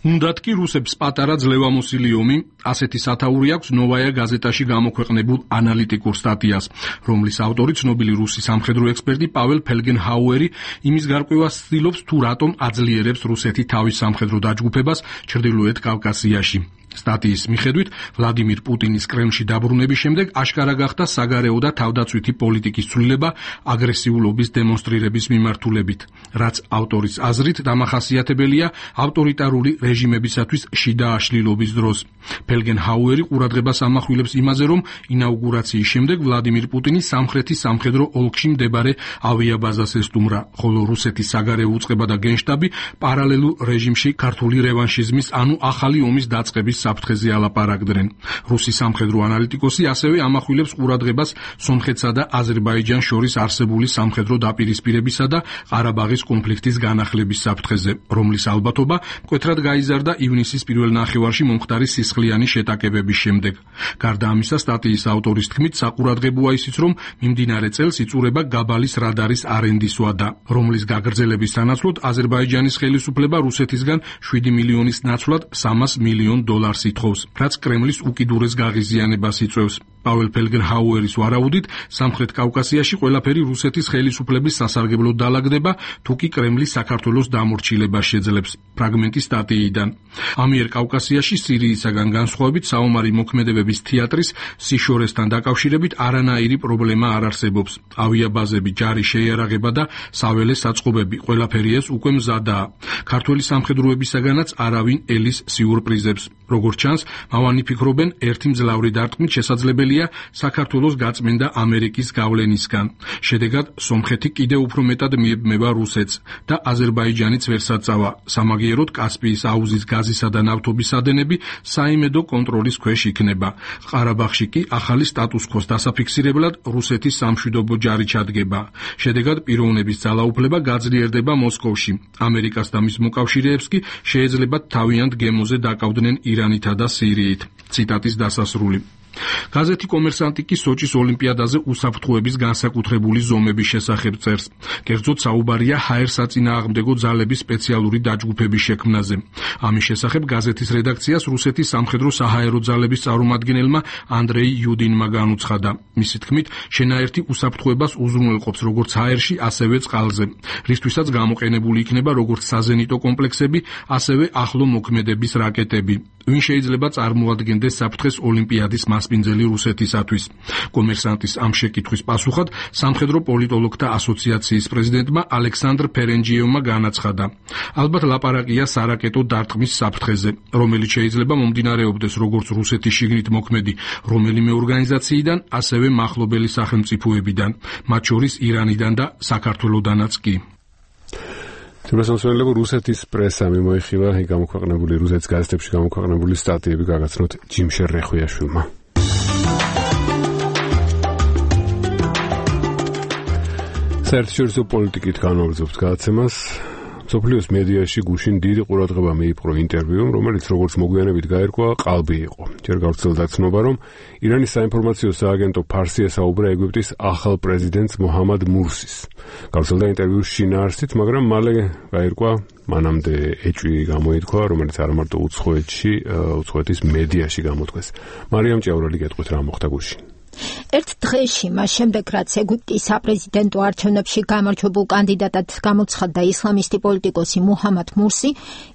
უნდათ კი რუსებს პატარა ძლევამოსილი ომი, ასეთი სათაური აქვს ნოვაია გაზეტაში გამოქვეყნებულ ანალიტიკურ სტატიას, რომლის ავტორი ცნობილი რუსი სამხედრო ექსპერტი პაվել ფელგენჰაუერი იმის გარკვევას ცდილობს, თუ რატომ აძლიერებს რუსეთი თავის სამხედრო დაჯგუფებას ჩრდილოეთ კავკასიაში. სტატიის მიხედვით, ვლადიმირ პუტინის კრემლში დაბრუნების შემდეგ აშკარა გახდა საგარეო და თავდაცვითი პოლიტიკის ცვლილება აგრესიულობის დემონსტრირების მიმართულებით, რაც ავტორის აზრით დამახასიათებელია ავტორიტარული რეჟიმებისათვის შიდა აშლილობის დროს. ფელგენჰაუერი ყურადღებას ამახვილებს იმაზე, რომ ინაუგურაციის შემდეგ ვლადიმირ პუტინი სამხრეთის სამხედრო ოლქში მდებარე ავიაბაზას ესტუმრა, ხოლო რუსეთის საგარეო უწყება და გენშტაბი პარალელურ რეჟიმში ქართული რევანშიზმის, ანუ ახალი ომის დაწყების საფრთხეზე ალაპარაკდნენ. რუსი სამხედრო ანალიტიკოსი ასევე ამახვილებს ყურადღებას სომხეთსა და აზერბაიჯანს შორის არსებული სამხედრო დაპირისპირებისა და ყარაბაღის კონფლიქტის განახლების საფრთხეზე, რომლის ალბათობა მკვეთრად გაიზარდა ივნისის პირველ ნახევარში მომხდარი სისხლიანი შეტაკებების შემდეგ. გარდა ამისა, სტატიის ავტორის თქმით, საყურადღებოა ისიც, რომ მიმდინარე წელს იწურება გაბალის რადარის არენდის ვადა, რომლის გაგრძელების სანაცვლოდ აზერბაიჯანის ხელისუფლება რუსეთისგან 7 მილიონის ნაცვლად 300 მილიონ დოლარს ითხოვს, რაც კრემლის უკიდურეს გაღიზიანებას იწვევს. პაվել ფელგენჰაუერის ვარაუდით, სამხრეთ კავკასიაში ყველაფერი რუსეთის ხელისუფლების სასარგებლოდ დაალაგდება, თუ კი კრემლი საქართველოს დამორჩილებას შეძლებს. ფრაგმენტი სტატიიდან. ამიერ კავკასიაში სირიისაგან განსხვავებით საომარი მოქმედებების თეატრის სიშორესთან დაკავშირებით არანაირი პრობლემა არ არსებობს. ავიაბაზები, ჯარის შეიარაღება და საველე საწყობები, ყველაფერი ეს უკვე მზადაა. ქართველი სამხედროებისაგანაც არავინ ელის სიურპრიზებს. როგორც ჩანს, მავანი ფიქრობენ, ერთი მძლავრი დარტყმით შესაძლებელია საქართველოს გაწმენდა ამერიკის გავლენისგან. შედეგად, სომხეთი კიდევ უფრო მეტად მიებმება რუსეთს და აზერბაიჯანიც ვერ საწავა. სამაგიეროდ კასპიის აუზის გაზისა და ნავთობის ადენები საიმედო კონტროლის ქვეშ იქნება. ყარაბაღში კი ახალი სტატუს-კვოს დასაფიქსირებლად რუსეთის სამშვიდობო ჯარი ჩადგება. შედეგად, პიროვნების ძალაუფლება გაძლიერდება მოსკოვში. ამერიკას და მის მოკავშირეებს კი შეეძლებათ თავიანთ გემოზე დაკავდნენ ირანითა და სირიით. ციტატის დასასრული. გაზეთი კომერსანტი კი სოჭის ოლიმპიადაზე უსაფრთხოების განსაკუთრებული ზომების შესახებ წერს. კერძოდ საუბარია ჰაერ-საწინააღმდეგო ძალების სპეციალური დაჯგუფების შექმნაზე. ამის შესახებ გაზეთის რედაქციას რუსეთის სამხედრო საჰაერო ძალების წარმომადგენელმა ანდრეი იუდინმა განუცხადა. მისი თქმით, შენაერთი უსაფრთხოებას უზრუნველყოფს როგორც ჰაერში, ასევე წყალზე, რისთვისაც გამოყენებული იქნება როგორც საზენიტო კომპლექსები, ასევე ახლო მოქმედების რაკეტები. ვინ შეიძლება წარმოადგენდეს საფრთხეს ოლიმპიადის მასპინძელი რუსეთისათვის. კომერსანტის ამ შეკითხვის პასუხად სამხედრო პოლიტოლოგთა ასოციაციის პრეზიდენტმა ალექსანდრ ფერენჯიევმა განაცხადა. ალბათ ლაპარაკია სარაკეტო დარტყმის საფრთხეზე, რომელიც შეიძლება მომდინარეობდეს როგორც რუსეთის შიგნით მოქმედი რომელიმე ორგანიზაციიდან, ასევე მახლობელი სახელმწიფოებიდან, მათ შორის ირანიდან და საქართველოდანაც კი. თუმცა რუსეთის პრესამ მოიხილა გამოქვეყნებული რუსეთის გაზეთებში გამოქვეყნებული სტატიები გაგაცნოთ ჯიმშერ რეხვიაშვილმა. საერთაშორისო პოლიტიკით განვაგრძობთ გადაცემას. სოფლიოს მედიაში გუშინ დიდი ყურადღება მიიპყრო ინტერვიუმ, რომელიც როგორც მოგვიანებით გაირკვა, ყალბი იყო. ჯერ გავრცელდა ცნობა, რომ ირანის საინფორმაციო სააგენტო ფარსი ესაუბრა ეგვიპტის ახალ პრეზიდენტს მოჰამად მურსის. გავრცელდა ინტერვიუს შინაარსით, მაგრამ მალე გაირკვა, მანამდე ეჭვი გამოითქვა, რომელიც არა მარტო უცხოეთის მედიაში გამოთქვეს. მარიამ ჭიაურელი გეტყვით რა მოხდა გუშინ. ერთ დღეში მას შემდეგ, რაც ეგვიპტის საპრეზიდენტო არჩევნებში გამარჯვებულ კანდიდატად გამოცხადდა ისლამისტი პოლიტიკოსი მუჰამად მურსი,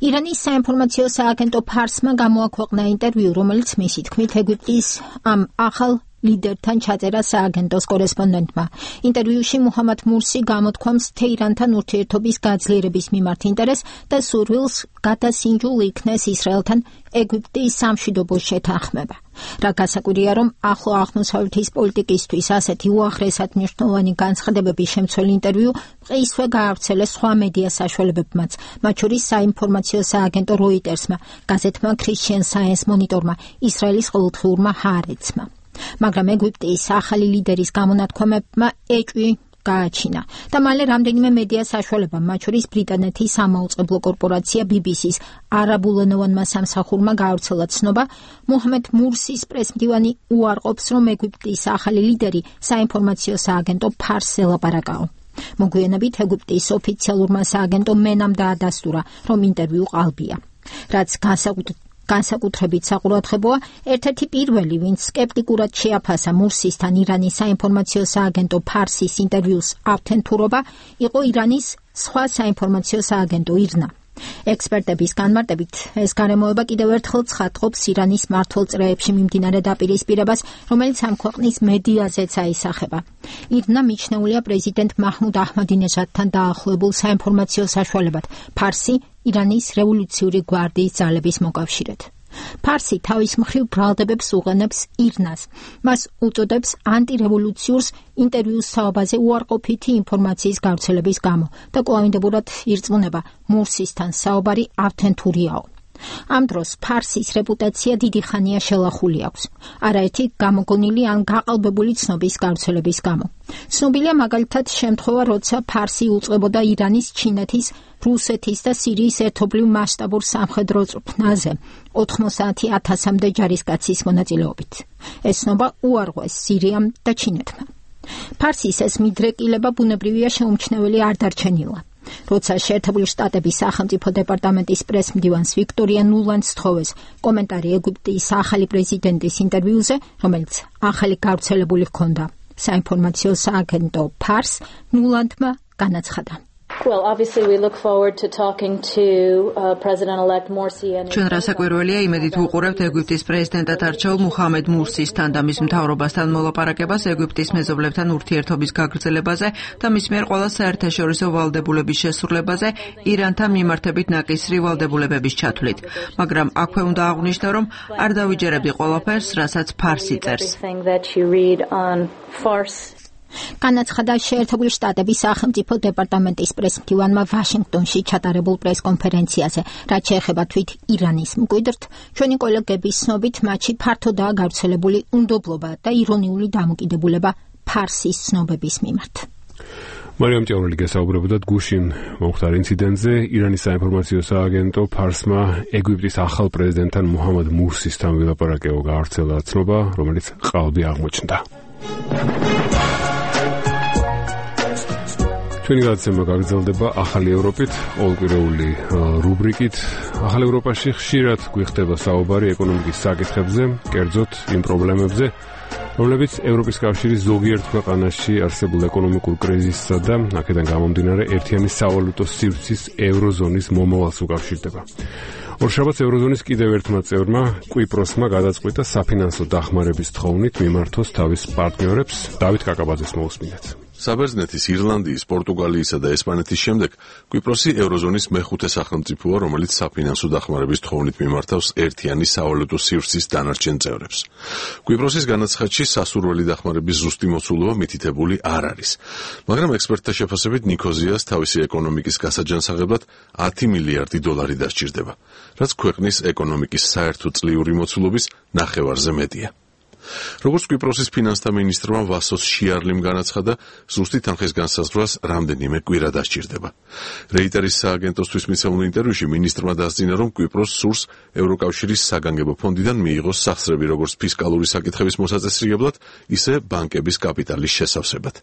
ირანის საინფორმაციო სააგენტო ფარსმა გამოაქვეყნა ინტერვიუ, რომელიც მისი თქმით ეგვიპტის ამ ახალ ლიდერთან ჩაწერა სააგენტოს კორესპონდენტმა. ინტერვიუში მუჰამად მურსი გამოთქვამს თეირანთან ურთიერთობის გაძლიერების მიმართ ინტერესს და სურვილს გადასინჯულ იქნეს ისრაელთან ეგვიპტის სამშვიდობო შეთანხმება. რა გასაკვირია, რომ ახლო აღმოსავლეთის პოლიტიკისთვის ასეთი უაღრესად მნიშვნელოვანი განცხადებების შემცველ ინტერვიუ მყისვე გაავრცელეს სხვა მედია საშუალებებმაც, მათ შორის საინფორმაციო სააგენტო როიტერსმა, გაზეთმა Christian Science Monitor-მა, ისრაელის ყოველდღიურმა ჰაარეცმა. მაგრამ ეგვიპტის ახალი ლიდერის გამონათქვამებმა ეჭვი გააჩინა და მალე რამდენიმე მედია საშუალებამ, მათ შორის ბრიტანეთის სამაუწყებლო კორპორაცია BBC-ს არაბულენოვანმა სამსახურმა გაავრცელა ცნობა, მუჰამად მურსის პრესმდივანი უარყოფს, რომ ეგვიპტის ახალი ლიდერი საინფორმაციო სააგენტო ფარსს ელაპარაკაო. მოგვიანებით ეგვიპტის ოფიციალურმა სააგენტომ მენამ დაადასტურა, რომ ინტერვიუ ყალბია. რაც განსაკუთრებით საყურადღებოა, ერთ-ერთი პირველი, ვინც სკეპტიკურად შეაფასა მურსისთან ირანის საინფორმაციო სააგენტო ფარსის ინტერვიუს ავთენტურობა, იყო ირანის სხვა საინფორმაციო სააგენტო ირნა. ექსპერტების განმარტებით, ეს გარემოება კიდევ ერთხელ ცხადყოფს ირანის მმართველ წრეებში მიმდინარე დაპირისპირებას, რომელიც ამ ქვეყნის მედიაზეც აისახება. ირნა მიჩნეულია პრეზიდენტ მაჰმუდ აჰმადინეჟადთან დაახლოებულ საინფორმაციო საშუალებად, ფარსი ირანის რევოლუციური გვარდიის ძალების მოკავშირედ. ფარსი თავის მხრივ ბრალდებებს უყენებს ირნას. მას უწოდებს ანტირევოლუციურს ინტერვიუს საუბაზე უარყოფითი ინფორმაციის გავრცელების გამო და კვლავინდებურად ირწმუნება მურსისთან საუბარი ავთენტურიაო. ამ დროს ფარსის რეპუტაცია დიდი ხანია შელახული აქვს, არაერთი გამოგონილი ან გაყალბებული ცნობის გავრცელების გამო. ცნობილია მაგალითად შემთხვევა, როცა ფარსი უწყებოდა ირანის, ჩინეთის, რუსეთის და სირიის ერთობლივ მასშტაბურ სამხედრო წვრთნაზე 90,000-მდე ჯარისკაცის მონაწილეობით. ეს ცნობა უარღვეს სირიამ და ჩინეთმა. ფარსის ეს მიდრეკილება ბუნებრივია შეუმჩნეველი არ დარჩენილა. როცა შეერთებული შტატების სახელმწიფო დეპარტამენტის პრესმდივანს ვიქტორია ნულანდს თხოვეს კომენტარი ეგვიპტის ახალი პრეზიდენტის ინტერვიუზე, რომელიც ახალი გავრცელებული ჰქონდა საინფორმაციო სააგენტო ფარს, ნულანდმა განაცხადა. Well, obviously we look forward to talking to President-elect Morsi and ჩვენ რასაკვირველია იმედით ვუყურებთ ეგვიპტის პრეზიდენტად არჩეულ მუჰამედ მურსისთან და მის მთავრობასთან მოლაპარაკებას ეგვიპტის მეზობლებთან ურთიერთობის გაგრძელებაზე და მის მიერ ყველა საერთაშორისო ვალდებულების შესრულებაზე ირანთან მიმართებით ნაკისრი ვალდებულებების ჩათვლით. მაგრამ აქვე უნდა აღვნიშნო, რომ არ დავიჯერებდი ყველაფერს, რასაც ფარსი წერს. განაცხადა შეერთებული შტატების სახელმწიფო დეპარტამენტის პრესმდივანმა ვაშინგტონში ჩატარებულ პრესკონფერენციაზე, რაც შეეხება თვით ირანის მკვიდრთ, ჩვენი კოლეგების ცნობით მათში ფართოდაა გავრცელებული უნდობლობა და ირონიული დამოკიდებულება ფარსის ცნობების მიმართ. მარიამ ჭაურელი გესაუბრებოდა გუშინ მომხდარ ინციდენტზე. ირანის საინფორმაციო სააგენტო ფარსმა ეგვიპტის ახალ პრეზიდენტთან მუჰამად მურსისთან ვილაპარაკეო გაავრცელა ცნობა, რომელიც ყალბი აღმოჩნდა. ჩვენი გადაცემა გაგრძელდება ახალი ევროპით, ყოველკვირეული რუბრიკით. ახალ ევროპაში ხშირად გვიხდება საუბარი ეკონომიკის საკითხებზე, კერძოდ იმ პრობლემებზე, რომლებიც ევროპის კავშირის ზოგიერთ ქვეყანაში არსებულ ეკონომიკურ კრიზისსა და აქედან გამომდინარე ერთიანი სავალუტო სივრცის ევროზონის მომავალს უკავშირდება. ორშაბათს ევროზონის კიდევ ერთმა წევრმა, კვიპროსმა გადაწყვიტა საფინანსო დახმარების თხოვნით მიმართოს თავის პარტნიორებს. დავით კაკაბაძეს მოусმინეთ. საბერძნეთის, ირლანდიის, პორტუგალიისა და ესპანეთის შემდეგ კვიპროსი ევროზონის მეხუთე სახელმწიფოა, რომელიც საფინანსო დახმარების თხოვნით მიმართავს ერთიანი სავალუტო სივრცის დანარჩენ წევრებს. კვიპროსის განაცხადში სასურველი დახმარების ზუსტი მოცულობა მითითებული არ არის, მაგრამ ექსპერტთა შეფასებით ნიქოზიას თავისი ეკონომიკის გასაჯანსაღებლად 10 მილიარდი დოლარი დასჭირდება, რაც ქვეყნის ეკონომიკის საერთო წლიური მოცულობის ნახევარზე მეტია. როგორც კვიპროსის ფინანსთა მინისტრმა ვასოს შიარლიმ განაცხადა, ზუსტი თანხის განსაზღვრას რამდენიმე კვირა დასჭირდება. რეიტერის სააგენტოსთვის მიცემულ ინტერვიუში მინისტრმა დასძინა, რომ კვიპროსს სურს ევროკავშირის საგანგებო ფონდიდან მიიღოს სახსრები როგორც ფისკალური საკითხების მოსაწესრიგებლად, ისე ბანკების კაპიტალის შესავსებად.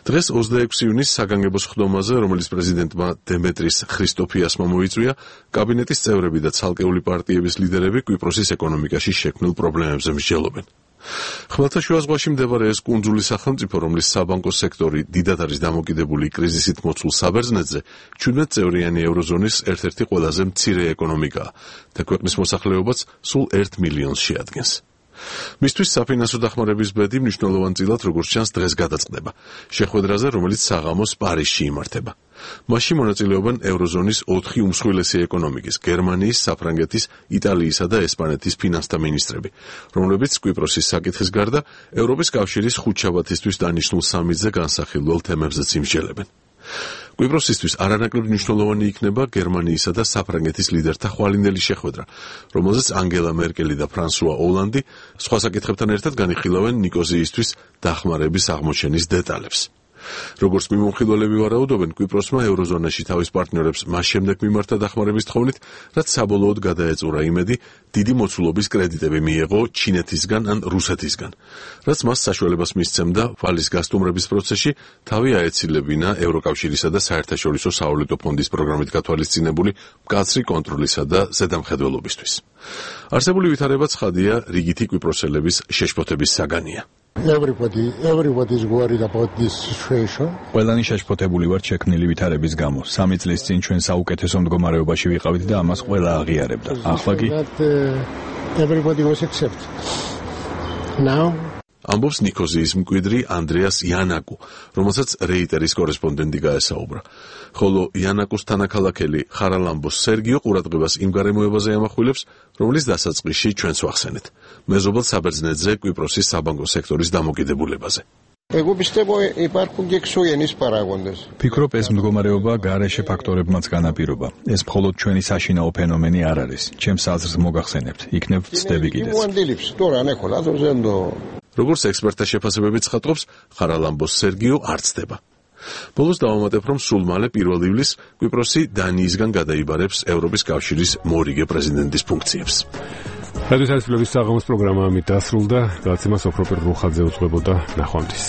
დღეს 26 იუნის საგანგებო სხდომაზე, რომელიც პრეზიდენტმა დემეტრის ქრისტოფიასმა მოიწვია, კაბინეტის წევრები და ცალკეული პარტიების ლიდერები კვიპროსის ეკონომიკაში შექმნილ პრობლემებზე მსჯელობენ. ხმელთაშუა ზღვაში მდებარე ეს კუნძული სახელმწიფო, რომლის საბანკო სექტორი დიდად არის დამოკიდებული კრიზისით მოცულ საბერძნეთზე, 17 წევრიანი ევროზონის ერთ-ერთი ყველაზე მცირე ეკონომიკაა და ქვეყნის მოსახლეობაც სულ 1 მილიონს შეადგენს. მისთვის საფინანსო დახმარების ბედი მნიშვნელოვანწილად როგორც ჩანს დღეს გადაწყდება. შეხვედრაზე, რომელიც საღამოს პარიზში იმართება. მასში მონაწილეობენ ევროზონის 4 უმსხვილესი ეკონომიკის, გერმანიის, საფრანგეთის, იტალიისა და ესპანეთის ფინანსთა მინისტრები, რომლებიც კვიპროსის საკითხის გარდა ევროპის კავშირის ხუთშაბათისთვის დანიშნულ სამიტზე განსახილველ თემებზეც იმსჯელებენ. კვიპროსისთვის არანაკლებ მნიშვნელოვანი იქნება გერმანიისა და საფრანგეთის ლიდერთა ხვალინდელი შეხვედრა, რომელზეც ანგელა მერკელი და ფრანსუა ოლანდი სხვა საკითხებთან ერთად განიხილავენ ნიკოზიისთვის დახმარების აღმოჩენის დეტალებს. როგორც მიმოხილველები ვარაუდობენ, კვიპროსმა ევროზონაში თავის პარტნიორებს მას შემდეგ მიმართა დახმარების თხოვნით, რაც საბოლოოდ გადაეწურა იმედი, დიდი მოცულობის კრედიტები მიეღო ჩინეთისგან ან რუსეთისგან, რაც მას საშუალებას მისცემდა ვალის გასტუმრების პროცესში თავი აეცილებინა ევროკავშირისა და საერთაშორისო სავალუტო ფონდის პროგრამით გათვალისწინებული მკაცრი კონტროლისა და ზედამხედველობისთვის. არსებული ვითარება ცხადია, რიგითი კვიპროსელების შეშფოთების საგანია. Everybody is worried about this situation. ყველანი შეშფოთებული ვართ შექმნილი ვითარების გამო. 3 წლის წინ ჩვენ საუკეთესო მდგომარეობაში ვიყავით და ამას ყველა აღიარებდა. ახლა კი everybody was accept. Now ამბობს ნიკოზიის მკვიდრი ანდრეას იანაკუ, რომელსაც რეიტერის კორესპონდენტი გაესაუბრა. ხოლო იანაკუს თანაქალაქელი ხარალამბოს სერგიო ყურადღებას იმ გარემოებაზე ამახვილებს, რომლის დასაწყისში ჩვენს ვახსენეთ. მეზობელ საბერძნეთზე კვიპროსის საბანკო სექტორის დამოკიდებულებაზე. ფიქრობ, ეს მდგომარეობა გარეშე ფაქტორებმაც განაპირობა. ეს მხოლოდ ჩვენი საშინაო ფენომენი არ არის. ჩემს აზრს მოგახსენებთ, იქნებ ვწდები კიდეც. როგორც ექსპერტთა შეფასებები ცხადყოფს, ხარალამბოს სერგიო არ ცდება. ბოლოს დავამატებ, რომ სულ მალე 1 ივლისს კვიპროსი დანიისგან გადაიბარებს ევროპის კავშირის მორიგე პრეზიდენტის ფუნქციებს. რადიო თავისუფლების საღამოს პროგრამა ამით დასრულდა. გადაცემა სოფროპერ რუხაძე უძღვებოდა. ნახვამდის.